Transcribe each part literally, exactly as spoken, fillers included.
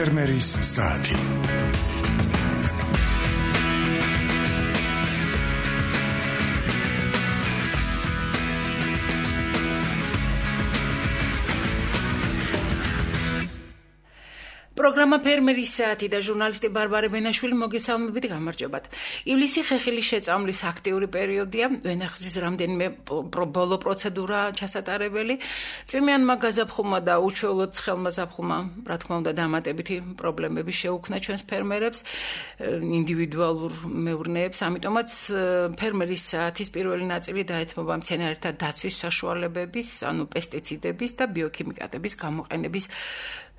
ფერმერის საათი. პროგრამა ფერმერის საათი და ჟურნალისტი ბარბარე ბენაშვილი მოგესალმებით, გამარჯობათ. ივლისი ხეხილის შეწამვლის აქტიური პერიოდია, ვენახის რამდენიმე ბოლო პროცედურა ჩასატარებელი. წვიმიანმა გაზაფხულმა და უჩვეულოდ ცხელმა ზაფხულმა, რა თქმა უნდა, დამატებითი პრობლემები შეუქმნა ჩვენს ფერმერებს, ინდივიდუალურ მეურნეებს, ამიტომაც ფერმერის საათის პირველი ნაწილი დაეთმობა მცენარეთა დაცვის საშუალებების, ანუ პესტიციდების და ბიოქიმიკატების გამოყენების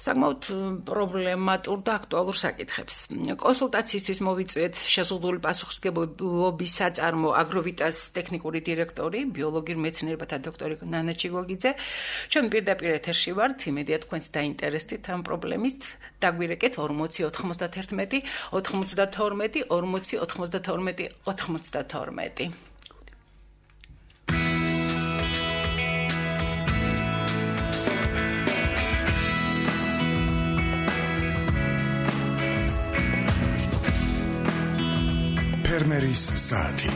საკმაოდ პრობლემატურ და აქტუალურ საკითხებს. კონსულტაციისთვის მოვიწვიეთ შეზღუდული პასუხისმგებლობის საწარმო აგროვიტას ტექნიკური დირექტორი, ბიოლოგიურ მეცნიერებათა დოქტორი ნანა ჩიგოგიძე. ჩვენ პირდაპირ ეთერში ვართ, იმედია თქვენც დაინტერესდით ამ პრობლემით. დაგვირეკეთ ორმოცი ოთხმოცდაერთმეტი ოცდათორმეტი ორმოცი ოთხმოცდათორმეტი ოცდათორმეტი. ფერმერის საათი.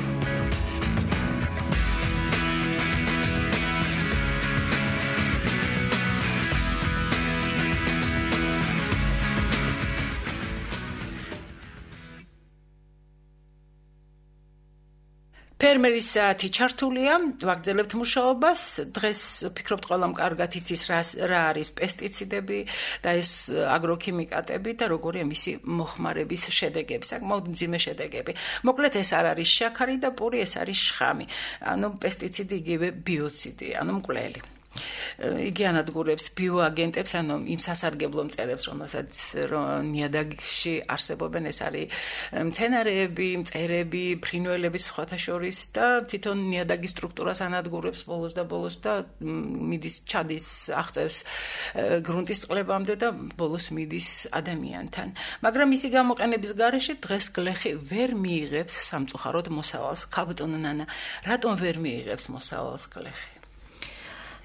ფერმერის საათი ჩართულია, ვაგრძელებთ მუშაობას. დღეს ვფიქრობთ, ყველამ კარგად იცის რა არის პესტიციდები და ეს აგროქიმიკატები და როგორია მისი მოხმარების შედეგები, საკმაოდ მძიმე შედეგები. მოკლედ ეს არ არის შაქარი და პური, ეს არის შხამი. ანუ პესტიციდი იგივე ბიოციდი, ანუ მკვლელი. იგი ანადგურებს ბიოაგენტებს, ანუ იმ სასარგებლო მწერებს, რომელსაც ნიადაგში არსებობენ, ეს არის მცენარეები, მწერები, ფრინველები სხვათა შორის და თვითონ ნიადაგის სტრუქტურას ანადგურებს ბოლოს და ბოლოს და მიდის ჩადის აღწევს გრუნტის წყლებამდე და ბოლოს მიდის ადამიანთან. მაგრამ ისი გამოყენების გარეშე დღეს გლეხი ვერ მიიღებს სამწუხაროდ მოსავალს. ქაბატონო ნანა, რატომ ვერ მიიღებს მოსავალს გლეხი?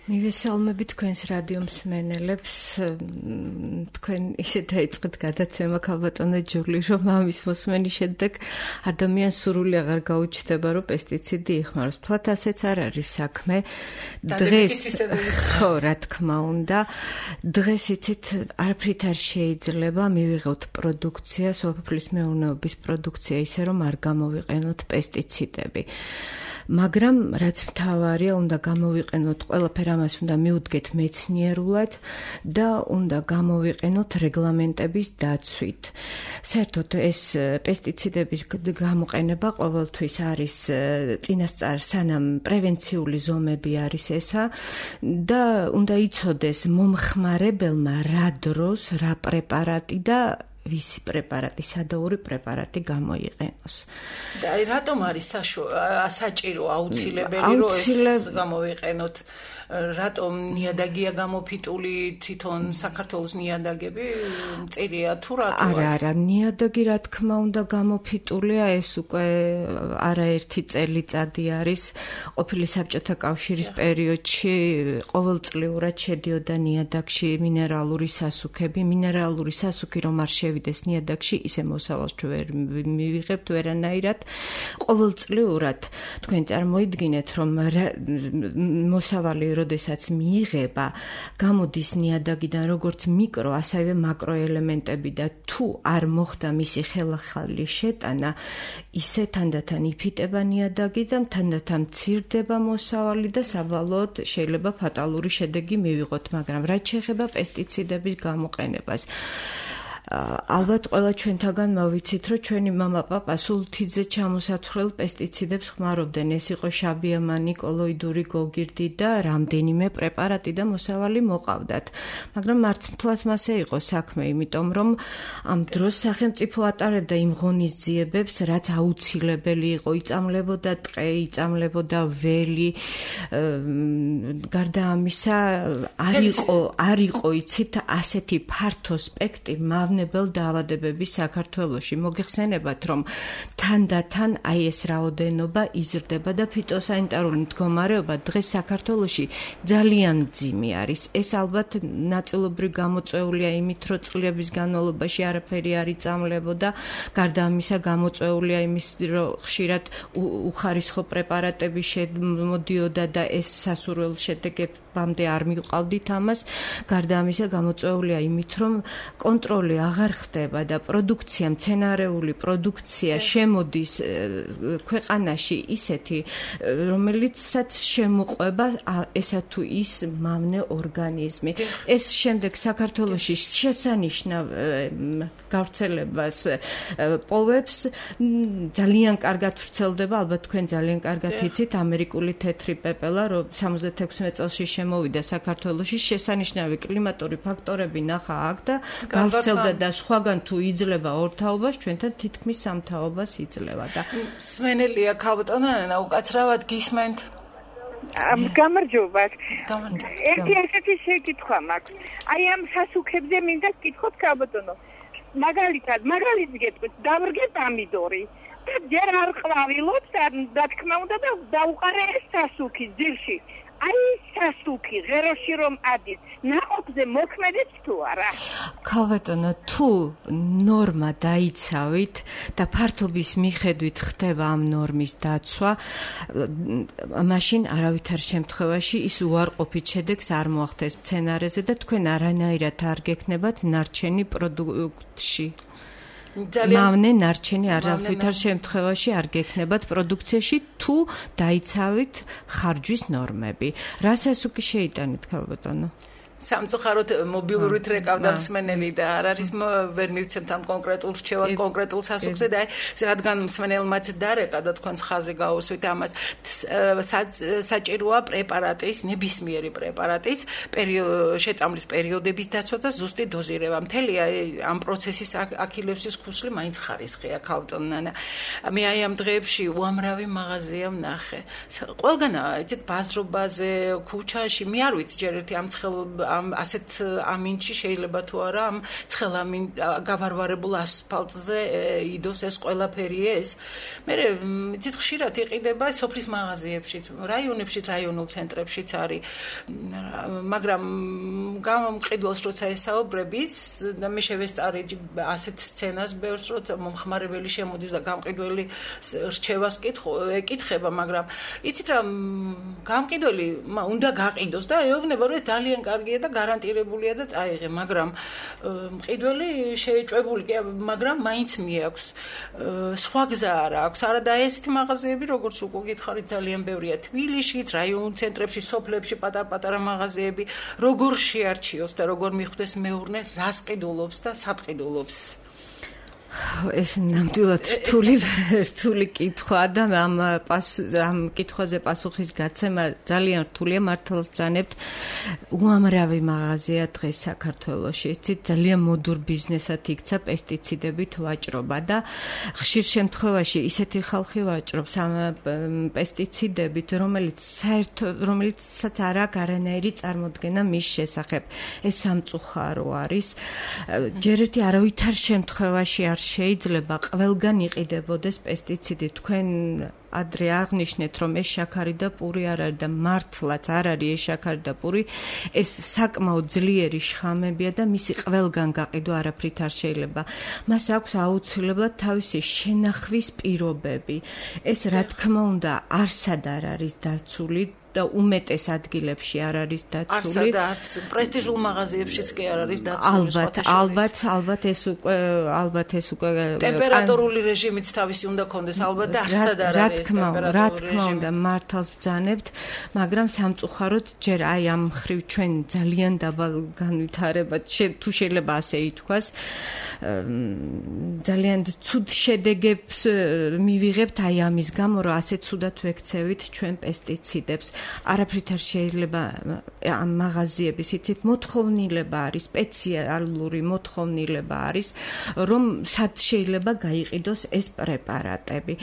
მივესალმები თქვენს რადიო მსმენელებს. თქვენ ისე დაიწყეთ გადაცემა ქაბატონო ჯული, რომ ამის მოსმენის შედეგ ადამიანს სურვილი აღარ გაუჩნდება, რომ პესტიციდი იხმაროს. ფლათ ასეც არ არის საქმე. დღეს ხო, რა თქმა უნდა, დღეს იცით, არაფრით არ შეიძლება მივიღოთ პროდუქცია, სოფლის მეურნეობის პროდუქცია ისე, რომ არ გამოვიყენოთ პესტიციდები. მაგრამ რაც მთავარია, უნდა გამოვიყენოთ ყველაფერი, ამას უნდა მიუდგეთ მეცნიერულად და უნდა გამოვიყენოთ რეგლამენტების დაცვით. საერთოდ ეს პესტიციდების გამოყენება ყოველთვის არის წინასწარ, სანამ პრევენციული ზომები არის ესა და უნდა იცოდეს მომხმარებელმა რა დროს, რა პრეპარატი და ვისი პრეპარატი, სადაური პრეპარატი გამოიყენოს. და რატომ არის საჭირო, აუცილებელი, რომ ეს გამოვიყენოთ? რატომ ნიადაგია გამოფიტული, თვითონ საქართველოს ნიადაგები მწირია თუ რატო? არა, არა, ნიადაგი რა თქმა უნდა გამოფიტულია, ეს უკვე არაერთი წელიწადი არის. ყოფილი საბჭოთა კავშირის პერიოდში ყოველწლიურად შედიოდა ნიადაგში მინერალური სასუქები. მინერალური სასუქი რომ არ შევიდეს ნიადაგში, ისე მოსავალს ვერ მივიღებთ ვერანაირად. ყოველწლიურად თქვენ წარმოიდგინეთ, რომ მოსავალი როდესაც მიიღება, გამოდის ნიადაგიდან როგორც მიკრო, ასევე მაკრო ელემენტები და თუ არ მოხდა მისი ხელახალი შეტანა, ისე თანდათან იფიტება ნიადაგი და თანდათან მცირდება მოსავალი და საბოლოოდ შეიძლება ფატალური შედეგი მივიღოთ, მაგრამ რაც შეეხება პესტიციდების გამოყენებას, ალბათ ყველა ჩვენთაგან მოვიცით, რომ ჩვენი მამა-პაპა სულთიძე ჩამოსათვრელ პესტიციდებს ხმარობდნენ. ეს იყო შაბიამანი, კოლოიდური გოგირდი და რამდენიმე პრეპარატი და მოსავალი მოყავდათ. მაგრამ მარც მთლად მასე იყო საქმე, იმიტომ რომ ამ დროს სახელმწიფო ატარებდა იმ ღონისძიებებს, რაც აუცილებელი იყო, იწამლებოდა ტყე, იწამლებოდა ველი. გარდა ამისა, არ იყო, არ იყო იცით ასეთი ფართო სპექტრი მავნე მავნებელ დაავადებების საქართველოში. მოგეხსენებათ, რომ თანდათან აი ეს რაოდენობა იზრდება და ფიტოსანიტარული მდგომარეობა დღეს საქართველოში ძალიან მძიმე არის. ეს ალბათ ნაწილობრივ გამოწვეულია იმით, რომ წლების განმავლობაში არაფერი არ იწამლებოდა, გარდა ამისა გამოწვეულია იმის, რომ ხშირად უხარისხო პრეპარატები შემოდიოდა და ეს სასურველ შედეგებამდე არ მივყავდით ამას. გარდა ამისა გამოწვეულია იმით, რომ კონტროლი აღარ ხდება და პროდუქცია, მცენარეული პროდუქცია შემოდის ქვეყანაში ისეთი, რომელიცაც შემოყვება ესა თუ ის მავნე ორგანიზმი. ეს შემდეგ საქართველოში შესანიშნავ გავრცელებას პოვებს, ძალიან კარგად ვრცელდება, ალბათ თქვენ ძალიან კარგად იცით, ამერიკული თეთრი პეპელა, რომ სამოცდათექვსმეტ წელში შემოვიდა საქართველოში, შესანიშნავი კლიმატური ფაქტორები ნახა აქ და გავრცელდა და სხვაგან თუ იძლევა ორ თაობას, ჩვენთან თითქმის სამ თაობას იძლევა და სვენელია ქალბატონო, უკაცრავად გისმენთ. გამარჯობათ. ერთი ასეთი შეკითხვა მაქვს. აი ამ სასუქებზე მინდა გკითხოთ ქალბატონო. მაგალითად, მაგალითს გეტყვით, დავრგე პამიდორი. და ჯერ არ ყვავილობს, რა თქმა უნდა და დაუყარე ეს სასუქი ძირში. აი სასუქი ღეროში რომ ადის, ნაყოფზე მოქმედებს თუ არა? ქალბატონო, თუ ნორმა დაიცავით და ფართობის მიხედვით ხდება ამ ნორმის დაცვა, მაშინ არავითარ შემთხვევაში ის უარყოფით შედეგს არ მოახდენს მცენარეზე და თქვენ არანაირად არ გექნებათ ნარჩენი პროდუქტში. მავნე ნარჩენი არავითარ შემთხვევაში არ გექნებათ პროდუქციაში თუ დაიცავით ხარჯვის ნორმები. რა სასუქი შეიტანეთ ქალბატონო? სამწუხაროდ მობილურით რეკავდა მსმენელი და არ არის ვერ მივცემთ ამ კონკრეტულ რჩევას კონკრეტულ სასუქზე და რადგან მსმენელმაც დარეკა და თქვენს ხაზზე გაუსვით ამას საჭიროა პრეპარატის ნებისმიერი პრეპარატის შეწამლის პერიოდების დაცვა და ზუსტი დოზირება. მთელი ამ პროცესის აქილევსის ქუსლი მაინც ხარისხია ქალბატონო. მე აი ამ დღეებში უამრავი მაღაზია ვნახე. ყველგან იცით ბაზრობაზე, ქუჩაში, მე არ ვიცი ჯერ ერთი ამ ცხელ ამ ასეთ ამინჩი შეიძლება თუ არა ამ ცხელ ამინ გავარვარებულ ასფალტზე იდოს ეს ყველაფერი ეს. მე იცით ხშირად იყიდება სოფლის მაღაზიებშიც, რაიონებშიც, რაიონულ ცენტრებშიც არის. მაგრამ გამომყიდველს როცა ესაუბრების და მე შევესწარი ასეთ სცენას ბევრს, როცა მომხმარებელი შემოდის და გამყიდველი რჩევას ეკითხება, მაგრამ იცით რა გამყიდველი უნდა გაყიდოს და ეუბნება რომ ეს ძალიან კარგია და გარანტირებულია და წაიღე, მაგრამ მყიდველი შეეჭვებული კი, მაგრამ მაინც მიაქვს. სხვა გზა არ აქვს. არა და ესეთი მაღაზიები, როგორც უკვე გითხარით, ძალიან ბევრია თბილისშიც, რაიონულ ცენტრებში, სოფლებში, პატარ-პატარა მაღაზიები, როგორ შეარჩიოს და როგორ მიხვდეს მეურნე, რას ყიდულობს და სად ყიდულობს? ეს ნამდვილად რთული რთული კითხვა და ამ ამ კითხვაზე პასუხის გაცემა ძალიან რთულია. მართლაც ბრძანებთ, უამრავი მაღაზია დღეს საქართველოში იცით ძალიან მოდურ ბიზნესად იქცა პესტიციდებით ვაჭრობა და ხშირ შემთხვევაში ისეთი ხალხი ვაჭრობს ამ პესტიციდებით, რომელიც საერთო რომელიცაც არ აქვს არანაირი წარმოდგენა მის შესახებ. ეს სამწუხარო არის. ჯერ ერთი არავითარ შემთხვევაში არ შეიძლება ყველგან იყიდებოდეს პესტიციდი. თქვენ ადრე აღნიშნეთ, რომ ეს შაქარი და პური არ არის და მართლაც არ არის ეს შაქარი და პური, ეს საკმაოდ ძლიერი შხამებია და მისი ყველგან გაყიდვა არაფრით არ შეიძლება. მას აქვს აუცილებლად თავისი შენახვის პირობები. ეს რა თქმა უნდა არსად არ არის დაცული და უმეტეს ადგილებში არ არის დაცული. არსად არც პრესტიჟულ მაღაზიებშიც კი არ არის დაცული. ალბათ, ალბათ, ალბათ ეს უკვე ალბათ ეს უკვე ტემპერატურული რეჟიმიც თავისი უნდა ქონდეს, ალბათ და არსად არ არის ტემპერატურული რა თქმა უნდა მართალს ბრძანებთ, მაგრამ სამწუხაროდ ჯერ აი ამ ხრივ ჩვენ ძალიან დაბალ განვითარებად თუ შეიძლება ასე ითქვას, ძალიან ცუდ შედეგებს მივიღებთ აი ამის გამო, რომ ასე ცუდად ვექცევით ჩვენ პესტიციდებს. არაფრით არ შეიძლება ამ მაღაზიების იცით მოთხოვნილება არის, სპეციალური მოთხოვნილება არის, რომ სად შეიძლება გაიყიდოს ეს პრეპარატები.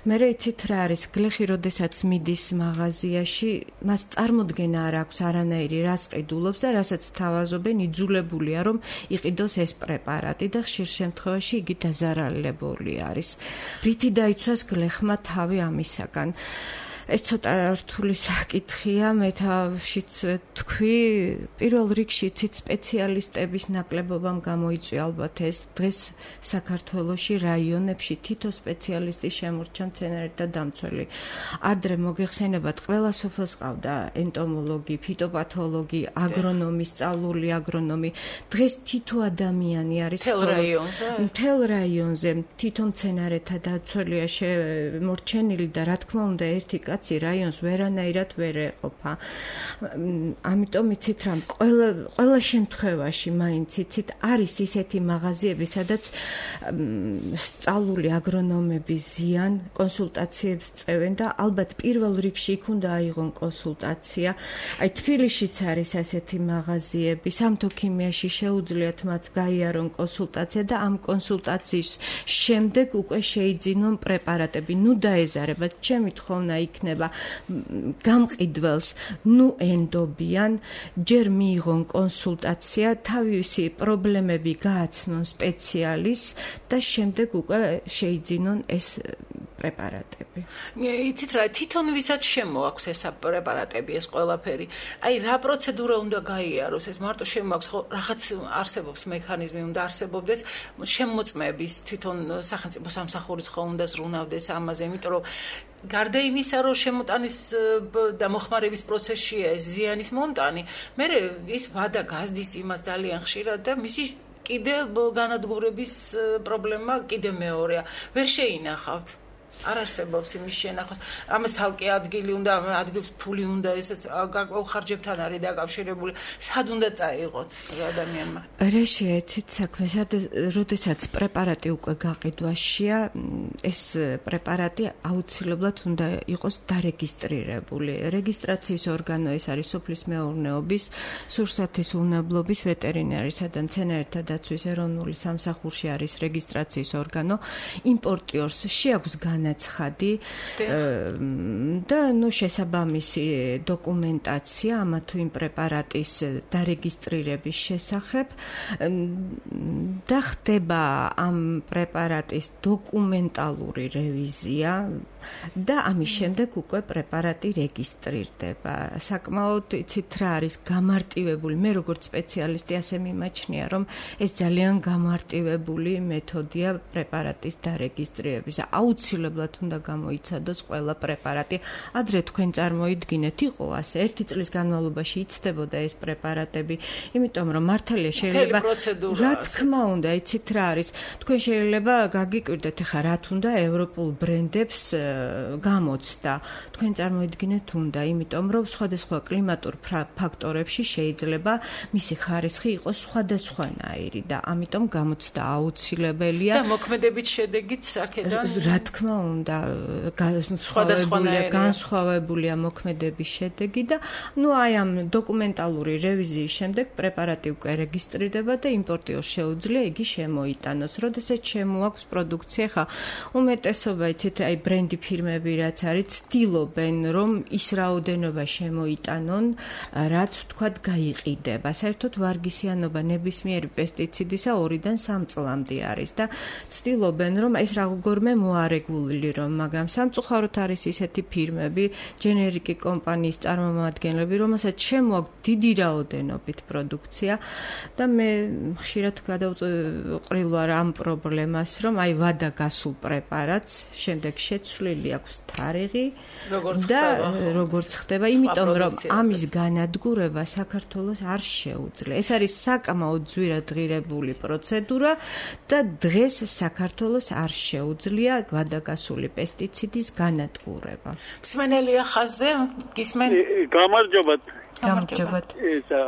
მე იცით რა არის, გლეხი როდესაც მიდის მაღაზიაში, მას წარმოდგენა არ აქვს არანაირი რას ყიდულობს და რასაც თავაზობენ, იძულებულია რომ იყიდოს ეს პრეპარატი და ხშირ შემთხვევაში იგი დაზარალებული არის. რითი დაიცვას გლეხმა თავი ამისაგან? ეს ცოტა რთული საკითხია, მე თავშიც თქვი, პირველ რიგში ცით სპეციალისტების ნაკლებობამ გამოიწვია ალბათ ეს დღეს საქართველოში რაიონებში თითო სპეციალისტი შემორჩა მცენარეთა დამცველი. ადრე მოგეხსენებათ, ყველა სოფელს ყავდა ენტომოლოგი, ფიტოპათოლოგი, აგრონომი, სწავლული აგრონომი. დღეს თითო ადამიანი არის მთელ რაიონზე. მთელ რაიონზე თითო მცენარეთა დამცველია შემორჩენილი და რა თქმა უნდა ერთი კაცი რაიონს ვერანაირად ვერ ეყოფა. ამიტომ იცით რა, ყველა ყველა შემთხვევაში მაინც იცით არის ისეთი მაღაზიები, სადაც სწავლული აგრონომები ზიან, კონსულტაციებს წევენ და ალბათ პირველ რიგში იქ უნდა აიღონ კონსულტაცია. აი თბილისშიც არის ასეთი მაღაზიები, სამთო ქიმიაში შეუძლიათ მათ გაიარონ კონსულტაცია და ამ კონსულტაციის შემდეგ უკვე შეიძინონ პრეპარატები. ნუ დაეზარებათ, ჩემი თხოვნა იქნება გამყიდველს ნუ ენდობიან, ჯერ მიიღონ კონსულტაცია, თავისი პრობლემები გააცნონ სპეციალისტს და შემდეგ უკვე შეიძინონ ეს პრეპარატები. იცით რა, თვითონ ვისაც შემოაქვს ეს პრეპარატები, ეს ყველაფერი. აი რა პროცედურა უნდა გაიაროს, ეს მარტო შემოაქვს, ხო რაღაც არსებობს მექანიზმი, უნდა არსებობდეს შემოწმების, თვითონ სახელმწიფო სამსახურიც ხო უნდა ზრუნავდეს ამაზე, იმიტომ რომ გარდა იმისა, რომ შემოტანის და მოხმარების პროცესშია ეს ზიანის მომტანი, მე ის ვადა გაზდის იმას ძალიან ხშირად და მისი კიდე განადგურების პრობლემა კიდე მეორეა. ვერ შეინახავთ. არ არსებობს იმის შენახვა. ამას თალკე ადგილი უნდა, ადგილს ფული უნდა, ესეც ხარჯებთან არის დაკავშირებული. სად უნდა წაიღოთ ადამიანმა? რეშია იცით საქმე, როდესაც პრეპარატი უკვე გაყიდვაშია, ეს პრეპარატი აუცილებლად უნდა იყოს დარეგისტრირებული. რეგისტრაციის ორგანო ეს არის სოფლის მეურნეობის, სურსათის უნებლობის, ვეტერინარისა და მცენარეთა დაცვის ეროვნული სამსახურში არის რეგისტრაციის ორგანო. იმპორტიორს შეაქვს განაცხადი და ნუ შესაბამისი დოკუმენტაცია ამა თუ იმ პრეპარატის დარეგისტრირების შესახებ და ხდება ამ პრეპარატის დოკუმენტალური რევიზია და ამის შემდეგ უკვე პრეპარატი რეგისტრირდება. საკმაოდ იცით რა არის გამარტივებული, მე როგორც სპეციალისტი ასე მიმაჩნია, რომ ეს ძალიან გამარტივებული მეთოდია პრეპარატის დარეგისტრირების. აუცილებლად უნდა გამოიცადოს ყველა პრეპარატი. ადრე თქვენ წარმოიდგინეთ, იყო ასე, ერთი წლის განმავლობაში იცდებოდა ეს პრეპარატები, იმიტომ რომ მართალია შეიძლება რა თქმა უნდა, იცით რა არის, თქვენ შეიძლება გაგიკვირდეთ, ხა რა თუნდა ევროპულ ბრენდებს გამოცდა. თქვენ წარმოიდგინეთ უნდა, იმიტომ რომ სხვადასხვა კლიმატურ ფაქტორებში შეიძლება მისი ხარისხი იყოს სხვადასხვანაირი და ამიტომ გამოცდა აუცილებელია. და მოქმედებით შედეგიც აქედან რა თქმა უნდა, განსხვავებულია, განსხვავებულია მოქმედების შედეგი და ნუ აი ამ დოკუმენტალური რევიზიის შემდეგ პრეპარატი უკვე რეგისტრირდება და იმპორტიორს შეუძლია იგი შემოიტანოს. როდესაც შემოაქვს პროდუქცია, ხა უმეტესობა იცით აი ბრენდი ფირმები რაც არის, ცდილობენ რომ ის რაოდენობა შემოიტანონ, რაც ვთქვათ გაიყიდება. საერთოდ ვარგისიანობა ნებისმიერი პესტიციდისა ორიდან სამ წლამდე არის და ცდილობენ რომ ეს როგორმე მოარეგულილი რომ, მაგრამ სამწუხაროდ არის ისეთი ფირმები, ჯენერიკი კომპანიის წარმომადგენლები, რომელსაც შემოაქვს დიდი რაოდენობით პროდუქცია და მე ხშირად გადავყრილ ვარ ამ პრობლემას, რომ აი ვადა გასულ პრეპარატს, შემდეგ შეცვლილი აქვს თარიღი და როგორც ხდება, იმიტომ რომ ამის განადგურება საქართველოს არ შეუძლია. ეს არის საკმაოდ ძვირადღირებული პროცედურა და დღეს საქართველოს არ შეუძლია ვადაგასული პესტიციდის განადგურება. მსმენელია ხაზზე, გისმენ? გამარჯობათ. გამარჯობათ. ესა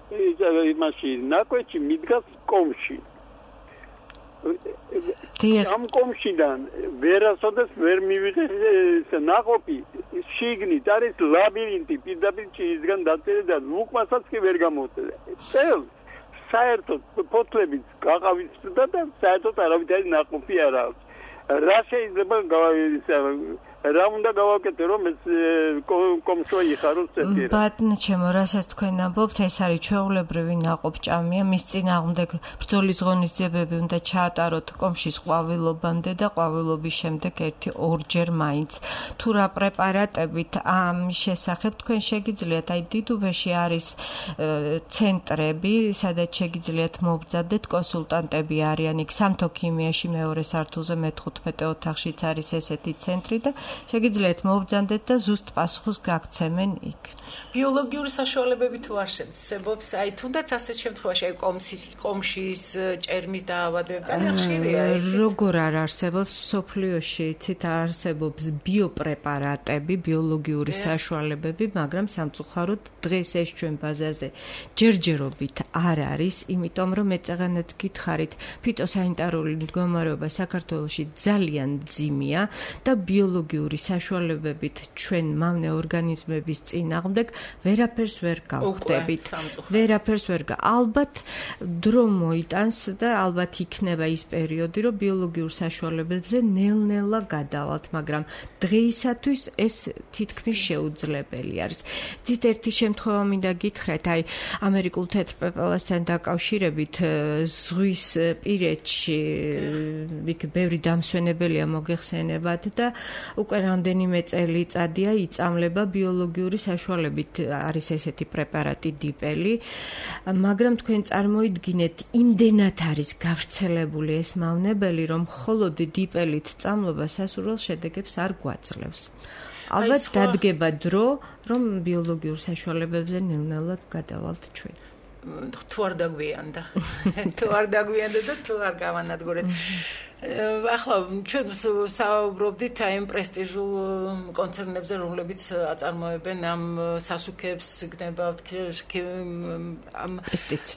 ესა იმაში ნაკვეთში მიდგას კომში. ამ კომშიდან ვერასოდეს ვერ მივიღე ნაყოფი შიგნით არის ლაბირინთი პირდაპირ ჩიისგან დაწერე და უკმასაც კი ვერ გამოვწერე. წელს საერთოდ ფოთლებით გაყავისდა და საერთოდ არავითარი ნაყოფი არ აქვს. რა შეიძლება რა უნდა გავაკეთე რომ ეს კომშვა იხაროს წეთერა. ბატონო ჩემო, რასაც თქვენ ამბობთ, ეს არის ჩვეულებრივი ნაყოფჭამია, მის წინააღმდეგ ბრძოლის ღონისძიებები უნდა ჩაატაროთ კომშის ყვავილობამდე და ყვავილობის შემდეგ ერთი ორჯერ მაინც. თუ რა პრეპარატებით ამის შესახებ თქვენ შეგიძლიათ, აი დიდუბეში არის ცენტრები, სადაც შეგიძლიათ მობრძადეთ, კონსულტანტები არიან იქ სამთო ქიმიაში მეორე სართულზე მეთხუთმეტე ოთახშიც არის ესეთი ცენტრი და შეგიძლიათ მოვბრძანდეთ და ზუსტ პასუხს გაგცემენ იქ. ბიოლოგიური საშუალებები თუ არ შეცდებობს, აი თუნდაც ასეთ შემთხვევაში აი კომშის ჭერმის დაავადებები ძალიან ხშირია, იცით? როგორ არ არსებობს სოფლიოში, იცით, არსებობს ბიოპრეპარატები, ბიოლოგიური საშუალებები, მაგრამ სამწუხაროდ დღეს ეს ჩვენ ბაზაზე ჯერჯერობით არ არის, იმიტომ რომ ეწაღანაც გითხარით, ფიტოსანიტარული მდგომარეობა საქართველოში ძალიან მძიმეა და ბიოლოგიური საშუალებებით ჩვენ მავნე ორგანიზმების წინააღმდეგ ვერაფერს ვერ გავხდებით. ვერაფერს ვერ გა. ალბათ დრო მოიტანს და ალბათ იქნება ის პერიოდი, რომ ბიოლოგიურ საშუალებებზე ნელ-ნელა გადავალთ, მაგრამ დღეისათვის ეს თითქმის შეუძლებელი არის. ძით ერთი შემთხვევა მინდა გითხრათ, აი ამერიკულ თეთრ პეპელასთან დაკავშირებით ზღვის პირეთში იქ ბევრი დამსვენებელია მოგეხსენებათ და უკვე რამდენიმე წელიწადია იწამლება ბიოლოგიური საშუალებით არის ესეთი პრეპარატი დიპელი, მაგრამ თქვენ წარმოიდგინეთ, იმდენად არის გავრცელებული ეს მავნებელი, რომ მხოლოდ დიპელით წამლობა სასურველ შედეგებს არ გვაძლევს. ალბათ დადგება დრო, რომ ბიოლოგიურ საშუალებებზე ნელ-ნელად გადავალთ ჩვენ. თუ არ დაგვიანდა. თუ არ დაგვიანდა და თუ არ გავანადგურეთ. ახლა ჩვენ საუბრობდით აი ამ პრესტიჟულ კონცერნებზე, რომლებიც აწარმოებენ ამ სასუქებს, გნებავთ ამ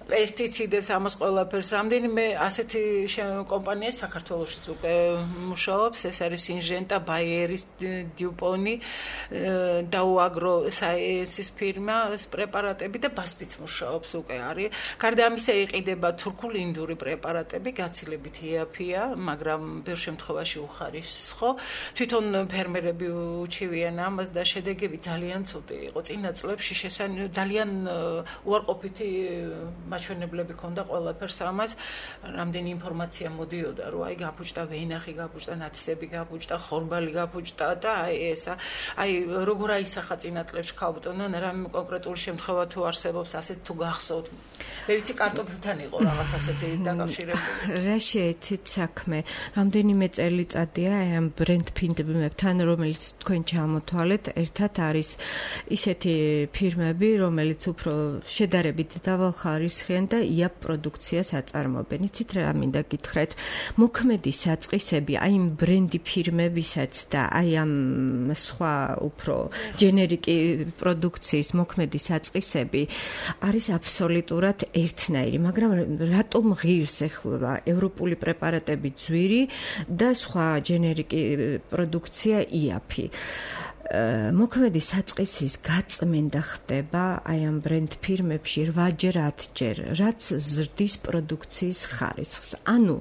პესტიციდებს, ამას ყველაფერს. რამდენიმე ასეთი კომპანია საქართველოშიც უკვე მუშაობს, ეს არის სინჟენტა, ბაიერის, დიუპონი, დაუ აგრო საიენსის ფირმა, ეს პრეპარატები და ბასპიც მუშაობს უკვე არის. გარდა ამისა იყიდება თურქული ინდური პრეპარატები, გაცილებით იაფია, მაგრამ ბევრ შემთხვევაში უხარისხო. თვითონ ფერმერები უჩივიან ამას და შედეგები ძალიან ცუდი იყო. წინა წლებში ძალიან უარყოფითი მაჩვენებლები ჰქონდა ყველაფერს ამას. რამდენი ინფორმაცია მოდიოდა, რომ აი გაფუჭდა ვენახი, გაფუჭდა ნათისები, გაფუჭდა ხორბალი, გაფუჭდა და აი ესა. აი როგორ აისახა წინა წლებში ქალბატონო, რამე კონკრეტული შემთხვევა თუ არსებობს, ასეთ თუ გახსოვთ. მე ვიცი კარტოფილთან იყო რაღაც ასეთი დაკავშირებული. რა შეეცით საქმე? რამდენიმე წელიწადია ამ ბრენდ ფირმებთან, რომელიც თქვენ ჩამოთვალეთ, ერთად არის ისეთი ფირმები, რომელიც უფრო შედარებით დავალხარისხიან და იაპ პროდუქციას აწარმოებენ. იცით რა მინდა გითხრათ? მოქმედი საწყისები აი ამ ბრენდი ფირმებისაც და აი ამ სხვა უფრო ჯენერიკი პროდუქციის მოქმედი საწყისები არის აბსოლუტურად ერთნაირი, მაგრამ რატომ ღირს ეხლა ევროპული პრეპარატები ძვირი და სხვა ჯენერიკი პროდუქცია იაფი. მოქმედი საწყისის გაწმენდა ხდება აი ამ ბრენდ ფირმებში რვაჯერ ათჯერ, რაც ზრდის პროდუქციის ხარისხს. ანუ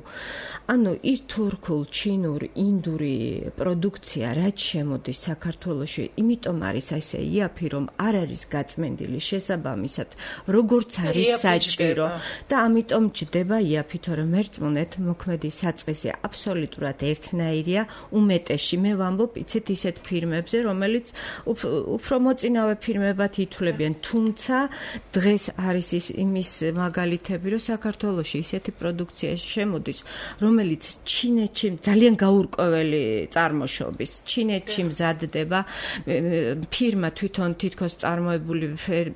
ანუ ის თურქულ, ჩინურ, ინდური პროდუქცია რაც შემოდის საქართველოში, იმიტომ არის ესე იაფი, რომ არ არის გაწმენდილი შესაბამისად, როგორც არის საჭირო და ამიტომ ჯდება იაფი, თორემ მერწმუნეთ, მოქმედი საწყისი აბსოლუტურად ერთნაირია, უმეტესში მე ვამბობ, იცით ისეთ ფირმებზე, რომელიც უფრო მოწინავე ფირმებად ითვლებიან, თუმცა დღეს არის ის იმის მაგალითები, რომ საქართველოში ისეთი პროდუქცია შემოდის, რომელიც ჩინეთში ძალიან გაურკვეველი წარმოშობის, ჩინეთში მზადდება, ფირმა თვითონ თითქოს წარმოებული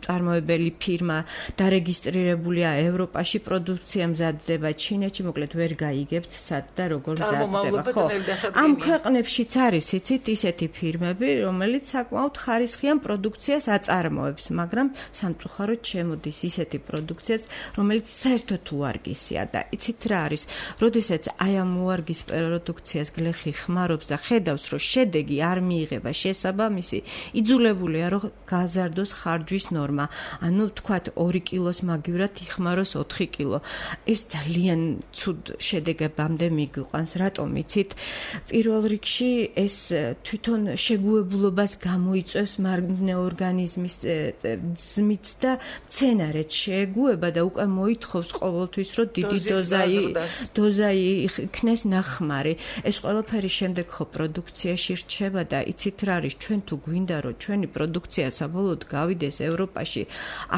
წარმოებელი ფირმა დარეგისტრირებულია ევროპაში, პროდუქცია მზადდება ჩინეთში, მოკლედ ვერ გაიგებთ სად და როგორ მზადდება. ხო, ამ ქვეყნებშიც არის იცით ისეთი ფირმები, რომელიც საკმაოდ ხარისხიან პროდუქციას აწარმოებს, მაგრამ სამწუხაროდ შემოდის ისეთი პროდუქციაც, რომელიც საერთოდ უარგისია და იცით რა არის, როდესაც აი ამ უარგის პროდუქციას გლეხი ხმარობს და ხედავს, რომ შედეგი არ მიიღება შესაბამისი, იძულებულია რომ გაზარდოს ხარჯვის ნორმა. ანუ თქვათ ორი კილოს მაგივრად იხმაროს ოთხი კილო. ეს ძალიან ცუდ შედეგებამდე მიგვიყვანს. რატომ იცით? პირველ რიგში ეს თვითონ შეგუებულობას გამოიწვევს მარგნე ორგანიზმის ძმით და მცენარეც შეეგუება და უკვე მოითხოვს ყოველთვის, რომ დიდი დოზა დოზა იქნეს ნახმარი. ეს ყველაფერი შემდეგ ხო პროდუქციაში რჩება და იცით რა არის, ჩვენ თუ გვინდა რომ ჩვენი პროდუქცია საბოლოოდ გავიდეს ევროპაში,